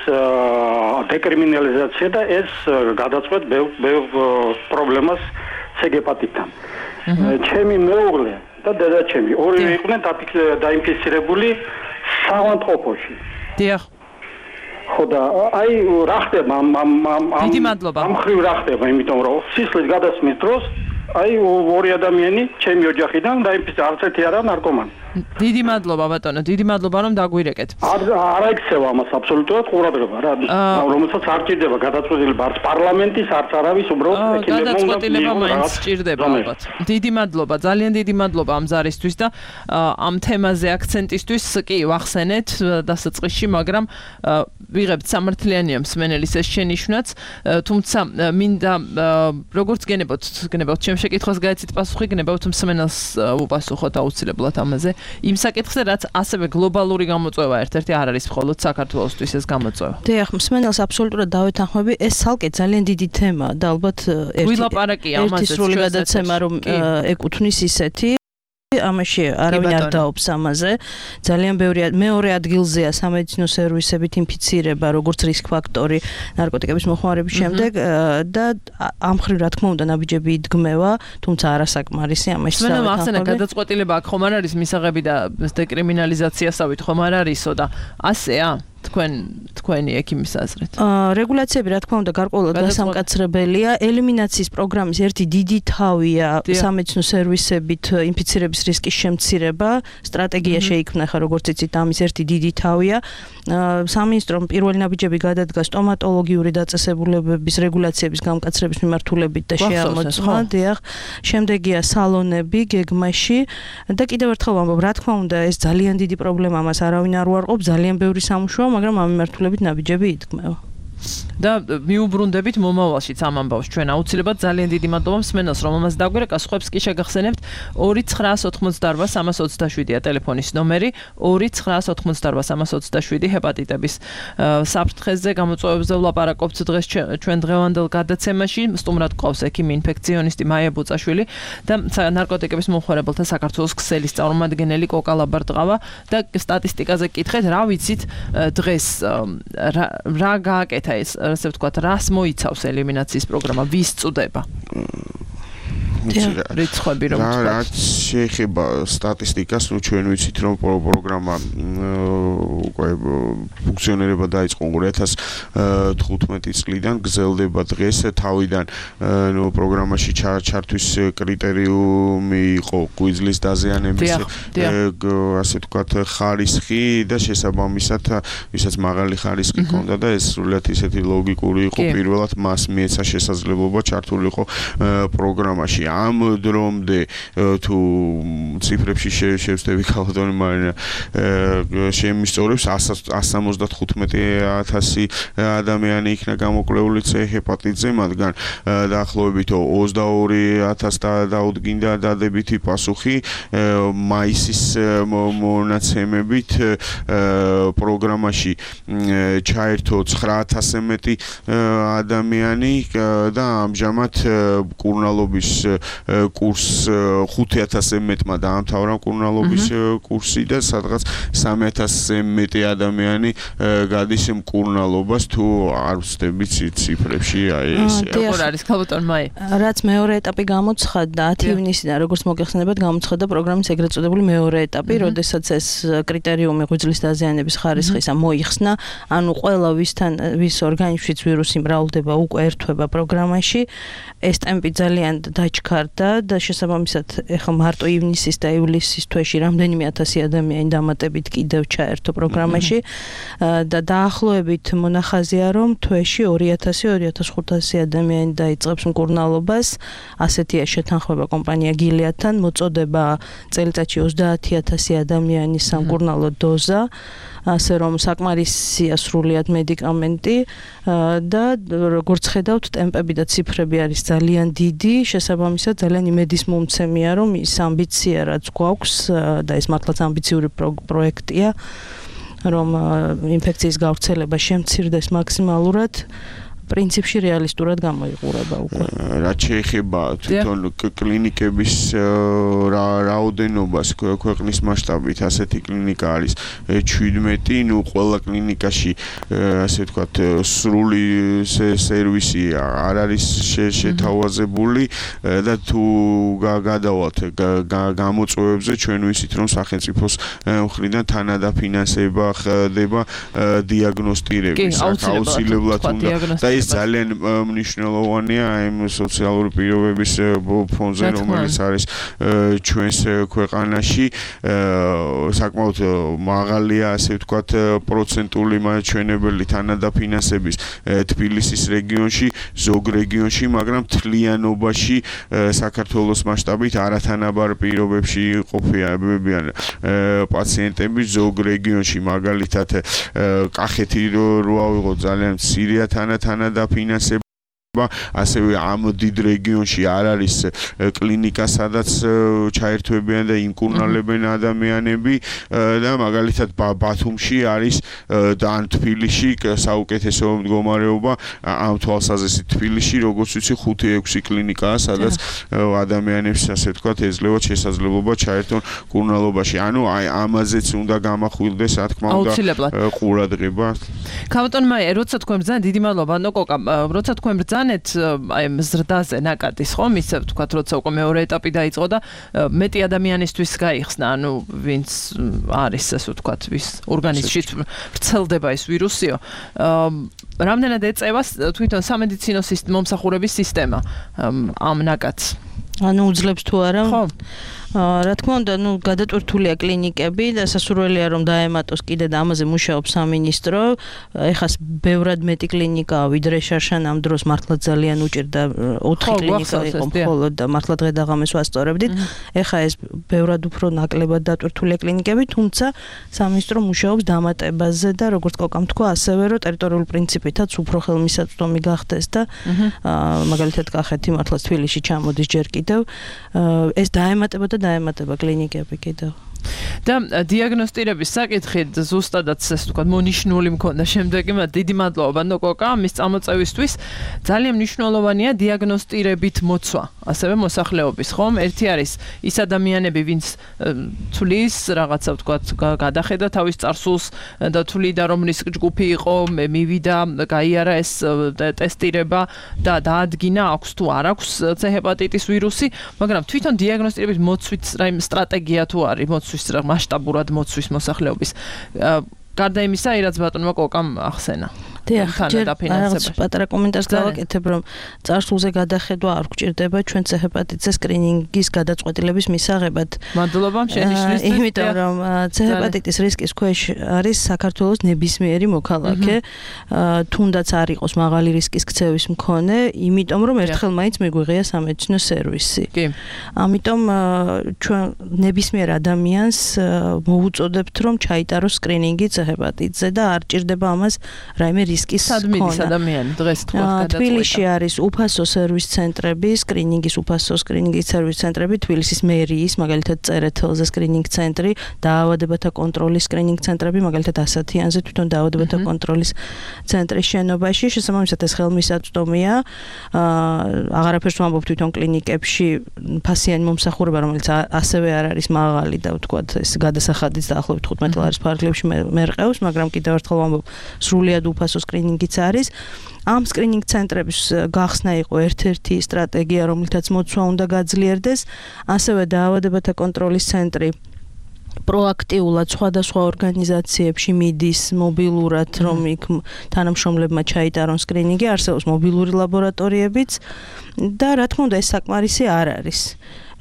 დეკრიმინალიზაცია და ეს გადაწყვეტ ბევრ პრობლემას C-ჰეპატიტთან ჩემი მეუღლე და დედაჩემი ორივე იყვნენ დაინფიცირებული საავადმყოფოში. დიახ. ხო და აი რა ხდება ამ ხრივ რა ხდება იმიტომ რომ სისხლის გადასმის დროს აი ორი ადამიანი ჩემი ოჯახიდან დაინფიცირდა არც ერთი არა ნარკომანი. დიდი მადლობა ბატონო, დიდი მადლობა რომ დაგვირეკეთ. არ აიქცევა ამას აბსოლუტურად ყურადღება რა. რომელსაც არ ჭირდება გადაწყვეტილება არც პარლამენტის, არც არავის უბრალოდ ექიმებმა გადაწყვეტილება მაინც ჭირდება ალბათ. დიდი მადლობა, ძალიან დიდი მადლობა ამ ზარისთვის და ამ თემაზე აქცენტისთვის კი ვახსენეთ დასაწყისში, მაგრამ ვიღებთ სამართლიანია მსმენელის ეს შენიშვნაც, თუმცა მინდა როგორც გენებოთ ჩემ შეკითხვას გაეცით პასუხი, გნებავთ მსმენელს უპასუხოთ აუცილებლად ამაზე. იმ საკითხზე რაც ასევე გლობალური გამოწვევა ერთ-ერთი არ არის მხოლოდ საქართველოსთვის ეს გამოწვევა. დიახ, მსმენელს აბსოლუტურად დავეთანხმები, ეს ცალკე ძალიან დიდი თემაა და ალბათ ერთი სრული გადაცემა რომ ეკუთვნის ისეთი ამაში არავინ არ დაობს ამაზე. ძალიან ბევრი მეორე ადგილზეა სამედიცინო სერვისებით ინფიცირება, როგორც რისკ ფაქტორი ნარკოტიკების მოხმარების შემდეგ და ამ ხრივ რა თქმა უნდა ნაბიჯები იდგმევა, თუმცა არასაკმარისი ამაში. მენამ ახსენე გადაწყვეტილება აქ ხომ არ არის მისაღები და დეკრიმინალიზაციასავით ხომ არ არისო და ასეა? თქვენი ექიმის აზრით? რეგულაციები რა თქმა უნდა გარკვეულად გასამკაცრებელია. ელიმინაციის პროგრამის ერთი დიდი თავია სამედიცინო სერვისებით ინფიცირების რისკის შემცირება. სტრატეგია შეიქმნა ხა როგორც იცით ამის ერთი დიდი თავია. სამინისტრომ პირველი ნაბიჯები გადადგა სტომატოლოგიური დაწესებულებების რეგულაციების გამკაცრების მიმართულებით და შეამოწმა. დიახ, შემდეგია სალონები გეგმაში და კიდევ ერთხელ ვამბობ, რა თქმა უნდა, ეს ძალიან დიდი პრობლემა, მას არავინ არ უარყოფს, ძალიან ბევრი სამუშაო, მაგრამ ამ მიმართულებით ნაბიჯები იდგმება. და მიუბრუნდებით მომავალშიც ამ ამბავს ჩვენ აუცილებლად ძალიან დიდი მადლობა მსმენელს რომელმაც დაგვირეკა სხვებს კი შეგახსენებთ 2988327-ია ტელეფონის ნომერი 2988327 ჰეპატიტების საფრთხეზე გამოწვევებზე ვლაპარაკობთ დღეს ჩვენ დღევანდელ გადაცემაში სტუმრად ყავს ექიმი ინფექციონისტი მაია ბუწაშვილი და ნარკოტიკების მომხმარებელთა საქართველოს ქსელის წარმომადგენელი კოკა ლაბარტყავა და სტატისტიკაზე კითხეთ რა ვიცით დღეს რა გააკეთა ეს ასე ვთქვათ, რას მოიცავს ელიმინაციის პროგრამა, ვის წუდება? რიცხვები რომ ვთქვათ. რაც შეეხება სტატისტიკას, ჩვენ ვიცით რომ პროგრამა უკვე ფუნქციონირება დაიწყო 2015 წლიდან, გრძელდება დღეს თავიდან პროგრამაში ჩართვის კრიტერიუმი იყო ღვიძლის დაზიანების ასე ვთქვათ ხარისხი და შესაბამისად ვისაც მაღალი ხარისხი ჰქონდა და ეს სრულიად ისეთი ლოგიკური იყო პირველად მას მიეცა შესაძლებლობა ჩართულიყო პროგრამაში. ამ დრომდე თუ ციფრებში შევსდები ქალბატონი მარინა შემისწორებს 175,000 ადამიანი იქნა გამოკვლეული C ჰეპატიტზე, მათგან დაახლოებით 22,000 დაუდგინდა დადებითი პასუხი მაისის მონაცემებით პროგრამაში ჩაერთო 9,000-ზე მეტი ადამიანი და ამჟამად კურნალობის კურს 5,000-ზე მეტმა დაამთავრა კურნალობის კურსი და სადღაც 3,000-ზე მეტი ადამიანი გადის მკურნალობას თუ არ ვცდებით ციფრებში აი ეს. როგორ არის ქალბატონ მაი? რაც მეორე ეტაპი გამოცხადდა 10 ივნისიდან როგორც მოგეხსენებათ გამოცხადდა პროგრამის ეგრეთ წოდებული მეორე ეტაპი, როდესაც ეს კრიტერიუმი ღვიძლის დაზიანების ხარისხისა მოიხსნა, ანუ ყველა ვის ორგანიზმშიც ვირუსი მრავლდება უკვე ერთვება პროგრამაში. ეს ტემპი ძალიან დაჩქარდა და შესაბამისად ეხლა მარტო ივნისის და ივლისის თვეში რამდენიმე 1000 ადამიანი დამატებით კიდევ ჩაერთო პროგრამაში და დაახლოებით მონახაზია რომ თვეში 2000-2500 ადამიანი დაიწყებს მკურნალობას. ასეთია შეთანხმება კომპანია გილიადთან, მოწოდება წელიწადში 30,000 ადამიანის სამკურნალო დოზა. ასე რომ საკმარისია სრულიად მედიკამენტი და როგორც ხედავთ ტემპები და ციფრები არის ძალიან დიდი, შესაბამისად ძალიან იმედის მომცემია რომ ის ამბიცია რაც გვაქვს და ეს მართლაც ამბიციური პროექტია რომ ინფექციის გავრცელება შემცირდეს მაქსიმალურად პრინციპში რეალისტურად გამოიყურება უკვე. რაც შეეხება თვითონ კლინიკების რაოდენობას ქვეყნის მასშტაბით, ასეთი კლინიკა არის 17, ნუ ყველა კლინიკაში ასე ვთქვათ სრული სერვისი არ არის შეთავაზებული და თუ გადავალთ გამოწვევებზე ჩვენ ვიცით რომ სახელმწიფოს მხრიდან თანადაფინანსება ხდება დიაგნოსტირების აუცილებლად უნდა და ეს ძალიან მნიშვნელოვანია იმ სოციალური პირობების ფონზე, რომელიც არის ჩვენს ქვეყანაში. საკმაოდ მაღალია, ასე ვთქვათ, პროცენტული მაჩვენებელი თანადაფინანსების თბილისის რეგიონში, ზოგ რეგიონში, მაგრამ თლიანობაში საქართველოს მასშტაბით არათანაბარ პირობებში ყოფიან პაციენტები ზოგ რეგიონში, მაგალითად კახეთი რო ავიღოთ ძალიან მცირეა თანადაფინანსება ასევე ამ დიდ რეგიონში არ არის კლინიკა, სადაც ჩაერთვებიან და იმკურნალებენ ადამიანები და მაგალითად ბათუმში არის და ან თბილისში საუკეთესო მდგომარეობა ამ თვალსაზრისით თბილისში როგორც ვიცი 5-6 კლინიკაა, სადაც ადამიანებს ასე ვთქვათ ეძლევათ შესაძლებლობა ჩაერთონ მკურნალობაში. ანუ აი ამაზეც უნდა გამახვილდეს, რა თქმა უნდა, ყურადღება. ქალბატონ მაია, როცა თქვენ ძალიან დიდი მადლობა, ნოკოკა, როცა თქვენ ბრძანეთ აი მზრდაზე ნაკადის ხომ ისე ვთქვათ როცა უკვე მეორე ეტაპი დაიწყო და მეტი ადამიანისთვის გაიხსნა ანუ ვინც არის ასე ვთქვათ ვის ორგანიზმში ვრცელდება ეს ვირუსიო რამდენად ეწევა თვითონ სამედიცინო მომსახურების სისტემა ამ ნაკადს ანუ უძლებს თუ არა ხო რა თქმა უნდა, გადატვირთულია კლინიკები და სასურველია რომ დაემატოს კიდე და ამაზე მუშაობს სამინისტრო. ეხლა ბევრად მეტი კლინიკაა, ვიდრე შარშან ამ დროს მართლა ძალიან უჭირდა 4 კლინიკა იყო მხოლოდ და მართლა დღე და ღამეს ვასწორებდით. ეხლა ეს ბევრად უფრო ნაკლებად დატვირთულია კლინიკები, თუმცა სამინისტრო მუშაობს დამატებაზე და როგორც კოკამ თქვა, ასევე რომ ტერიტორიული პრინციპითაც უფრო ხელმისაწვდომი გახდეს და მაგალითად კახეთი მართლა თბილისში ჩამოდის ჯერ კიდევ ეს დაემატება და დაემატება კლინიკები კიდევ. და დიაგნოსტირების საკითხით ზუსტადაც ეს თქვა მონიშნული მქონდა შემდეგი დიდი მადლობა ნოკოკა ამის წამოწევისთვის ძალიან მნიშვნელოვანია დიაგნოსტირებით მოცვა ასევე მოსახლეობის ხომ ერთი არის ის ადამიანები ვინც თulis რაღაცა ვთქვა გადახედა თავის წარსულს და თuliდა რომ რისკ ჯგუფი იყო მივიდა გაიარა ეს ტესტირება და დაადგინა აქვს თუ არ აქვს C ჰეპატიტის ვირუსი მაგრამ თვითონ დიაგნოსტირების მოცვის რაიმე სტრატეგია თუ არის მასშტაბურად მოცვის მოსახლეობის. გარდა იმისა, რაც ბატონმა კოკამ ახსენა. დიახ, რაღაც პატარა კომენტარს გავაკეთებ, რომ წარსულზე გადახედვა არ გვჭირდება ჩვენ C ჰეპატიტის სკრინინგის გადაწყვეტილების მისაღებად. მადლობა შენიშვნისთვის. იმიტომ რომ C ჰეპატიტის რისკის ქვეშ არის საქართველოს ნებისმიერი მოქალაქე, თუნდაც არ იყოს მაღალი რისკის ქცევის მქონე, იმიტომ რომ ერთხელ მაინც მიგვიღია სამედიცინო სერვისი. კი. ამიტომ ჩვენ ნებისმიერ ადამიანს მოუწოდებთ რომ ჩაიტაროს სკრინინგი C ჰეპატიტზე და არ ჭირდება ამას რაიმე რისკის სადმიდის ადამიანი დღეს თქვა გადაწყვეტა. თბილისში არის უფასო სერვის ცენტრები, სკრინინგის უფასო სკრინინგის სერვის ცენტრები, თბილისის მერიის, მაგალითად წერეთელზე სკრინინგ ცენტრი, დაავადებათა კონტროლის სკრინინგ ცენტრები, მაგალითად ასათიანზე თვითონ დაავადებათა კონტროლის ცენტრის შენობაში, შესაბამისად ეს ხელმისაწვდომია. აღარაფერს ვამბობ თვითონ კლინიკებში ფასიანი მომსახურება, რომელიც ასევე არ არის მაღალი და ვთქვათ ეს გადასახადიც დაახლოებით 15 ლარის ფარგლებში მერყევს, მაგრამ კიდევ ერთხელ ვამბობ სრულიად უფასო სკრინინგიც არის. ამ სკრინინგ ცენტრების გახსნა იყო ერთ-ერთი სტრატეგია, რომელთაც მოცვა უნდა გაძლიერდეს, ასევე დაავადებათა კონტროლის ცენტრი პროაქტიულად სხვადასხვა ორგანიზაციებში მიდის მობილურად, რომ იქ თანამშრომლებმა ჩაიტარონ სკრინინგი, არსებობს მობილური ლაბორატორიებიც და რა თქმა უნდა ეს საკმარისი არ არის.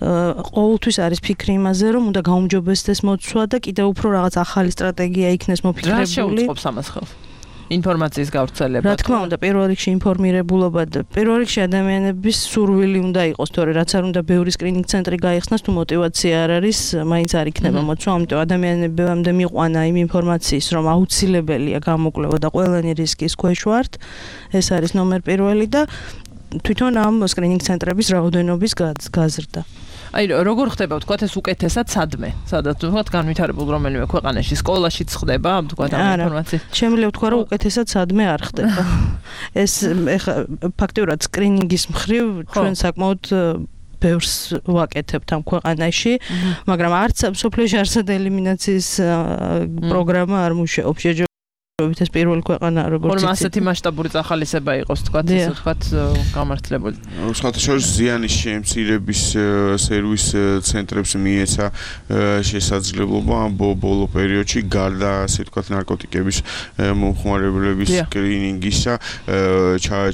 ყოველთვის არის ფიქრი იმაზე, რომ უნდა გაუმჯობესდეს მოცვა და კიდევ უფრო რაღაც ახალი სტრატეგია იქნეს მოფიქრებული. რა შეუწყობს ამას ხელს? ინფორმაციის გავრცელება. რა თქმა უნდა, პირველ რიგში ინფორმირებულობა და პირველ რიგში ადამიანების სურვილი უნდა იყოს, თორე რაც არ უნდა ბევრი სკრინინგ ცენტრი გაიხსნას, თუ мотиваცია არ არის, მაინც არ იქნება მოცვა, ამიტომ ადამიანებამდე მიყვანა იმ ინფორმაციის, რომ აუცილებელია გამოკვლევა და ყველანი რისკის ქვეშ ვართ. ეს არის ნომერ პირველი და თვითონ ამ სკრინინგ ცენტრების რაოდენობის გაზრდა. აი როგორ ხდება ვთქვათ ეს უკეთესად სადმე სადაც ვთქვათ განვითარებულ რომელიმე ქვეყანაში სკოლაშიც ხდება ვთქვათ ამ ინფორმაციის შემიძლია ვთქვა რომ უკეთესად სადმე არ ხდება ეს ეხა ფაქტიურად სკრინინგის მხრივ ჩვენ საკმაოდ ბევრს ვაკეთებთ ამ ქვეყანაში მაგრამ არც სოფლიოში არსად ელიმინაციის პროგრამა არ მუშაობს ეს პირველი ქვეყანა როგორც ხომ ასეთი მასშტაბური წახალისება იყოს თქვათ ესე თქვათ გამართლებული. სხვათაშორის ზიანის შემცირების სერვის ცენტრებს მიეცა შესაძლებლობა ბოლო პერიოდში გარდა ასე თქვათ ნარკოტიკების მომხმარებლების სკრინინგისა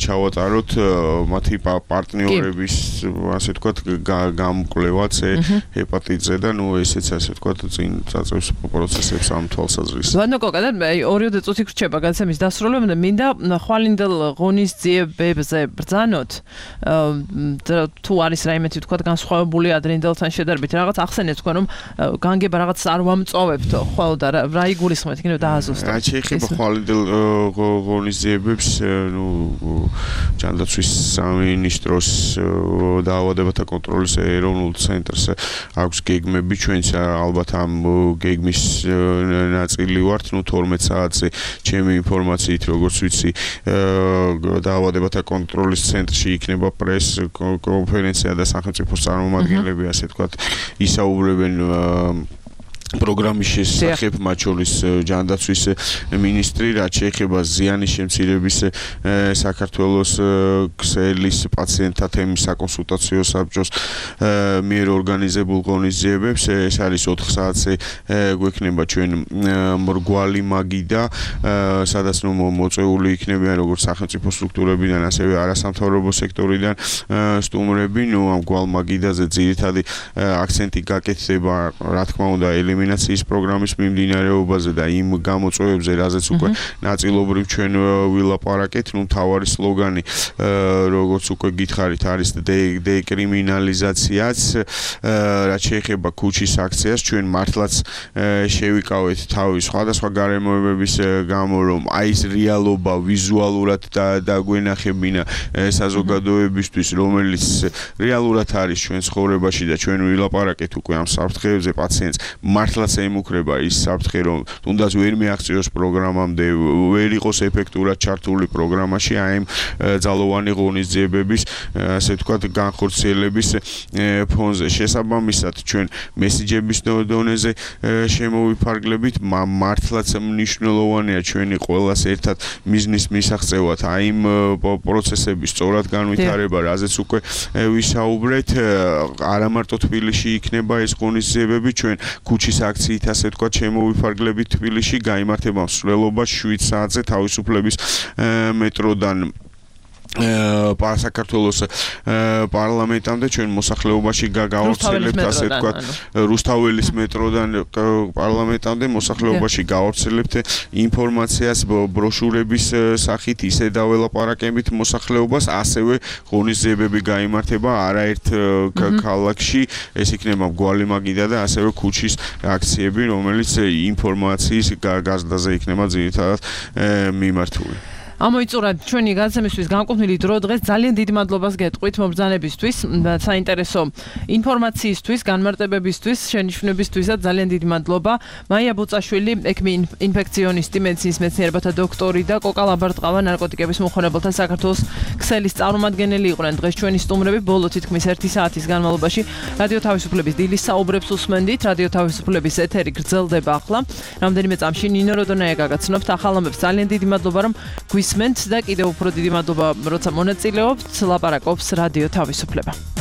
ჩავატაროთ მათი პარტნიორების ასე თქვათ გამკვლევაც ჰეპატიტზე და ნუ ესეც ასე თქვათ წინ წაწევს პროცესებს ამ თვალსაზრისით. ვანო კოკა და ორი იქრჩება გადაცემის დასრულებამდე მინდა ხვალინდელ ღონისძიებებზე ბრძანოთ თუ არის რაიმე თქვა განსხვავებული ადრინდელთან შედარებით რაღაც ახსენეთ თქვა რომ განგება რაღაც არ ვამწოვებთო ხო და რა იგულისხმეთ იქნება დააზუსტოთ რა შეიძლება ხვალინდელ ღონისძიებებს ნუ ჯანდაცვის სამინისტროს დაავადებათა კონტროლის ეროვნულ ცენტრს აქვს გეგმები ჩვენც ალბათ ამ გეგმის ნაწილი ვართ ნუ 12 საათზე ჩემი ინფორმაციით როგორც ვიცი დაავადებათა კონტროლის ცენტრში იქნება პრეს კონფერენცია და სახელმწიფოს წარმომადგენლები ასე თქვათ ისაუბრებენ პროგრამის შესახებ, მათ შორის ჯანდაცვის მინისტრი, რაც შეეხება ზიანის შემცირების საქართველოს ქსელის პაციენტთა თემის საკონსულტაციო საბჭოს მიერ ორგანიზებულ ღონისძიებებს. ეს არის 4 საათზე გვექნება ჩვენ მრგვალი მაგიდა, სადაც მოწვეული იქნებიან როგორც სახელმწიფო სტრუქტურებიდან, ასევე არასამთავრობო სექტორიდან სტუმრები. ამ მრგვალ მაგიდაზე ძირითადი აქცენტი გაკეთდება, რა თქმა უნდა, ელემინაციის პროგრამის მიმდინარეობაზე და იმ გამოწვევებზე, რაზეც უკვე ნაწილობრივ ჩვენ ვილაპარაკეთ. მთავარი სლოგანი, როგორც უკვე გითხარით, არის დეკრიმინალიზაციაც. რაც შეეხება ქუჩის აქციას, ჩვენ მართლაც შევიკავეთ თავის სხვადასხვა გარემოებების გამო, რომ აი ეს რეალობა ვიზუალურად დაგვენახებინა საზოგადოებისთვის, რომელიც რეალურად არის ჩვენ ცხოვრებაში და ჩვენ ვილაპარაკეთ უკვე ამ საფრთხეებზე პაციენტს. მართლაც ემუქრება ის საფრთხე, რომ თუნდაც ვერ მიაღწიოს პროგრამამდე, ვერ იყოს ეფექტურად ჩართული პროგრამაში აი ამ ძალოვანი ღონისძიებების, ასე ვთქვათ, განხორციელების ფონზე. შესაბამისად, ჩვენ მესიჯების დონეზე შემოვიფარგლებით, მართლაც მნიშვნელოვანია ჩვენი ყველას ერთად მიზნის მისაღწევად აი იმ პროცესების სწორად განვითარება, რაზეც უკვე ვისაუბრეთ. არა მარტო თბილისში იქნება ეს ღონისძიებები, ჩვენ ქუჩის აქციით, ასე ვთქვათ, შემოვიფარგლებით თბილისში, გაიმართება მსვლელობა 7 საათზე თავისუფლების მეტროდან საქართველოს პარლამენტამდე. ჩვენ მოსახლეობაში გავავრცელებთ, ასე ვთქვათ, რუსთაველის მეტროდან პარლამენტამდე მოსახლეობაში გავავრცელებთ ინფორმაციას ბროშურების სახით, ისე დაველაპარაკებით მოსახლეობას, ასევე ღონისძიებები გაიმართება არაერთ ქალაქში. ეს იქნება მრგვალი მაგიდა და ასევე ქუჩის აქციები, რომელიც ინფორმაციის გაზრდაზე იქნება ძირითადად მიმართული. ამოიწურა ჩვენი განსამისთვის განკუთვნილი დრო დღეს. ძალიან დიდ მადლობას გეტყვით მომბრძანებისთვის, საინტერესო ინფორმაციისთვის, განმარტებებისთვის, შენიშვნებისთვისაც ძალიან დიდი მადლობა. მაია ბუწაშვილი, ექიმი ინფექციონისტი, მედიცინის მეცნიერებათა დოქტორი და კოკა ლაბარტყავა, ნარკოტიკების მომხმარებელთა საქართველოს ქსელის წარმომადგენელი იყვნენ დღეს ჩვენი სტუმრები. ბოლო თითქმის 1 საათის განმავლობაში რადიო თავისუფლების დილის საუბრებს უსმენდით. რადიო თავისუფლების ეთერი გრძელდება ახლა. რამდენიმე წამში ნინო როდონაია გაგაცნობთ ახალ ამბებს. ძალიან დიდი მადლობა, რომ გვისმენთ და კიდევ უფრო დიდი მადლობა, როცა მონაწილეობთ. ლაპარაკობს რადიო თავისუფლება.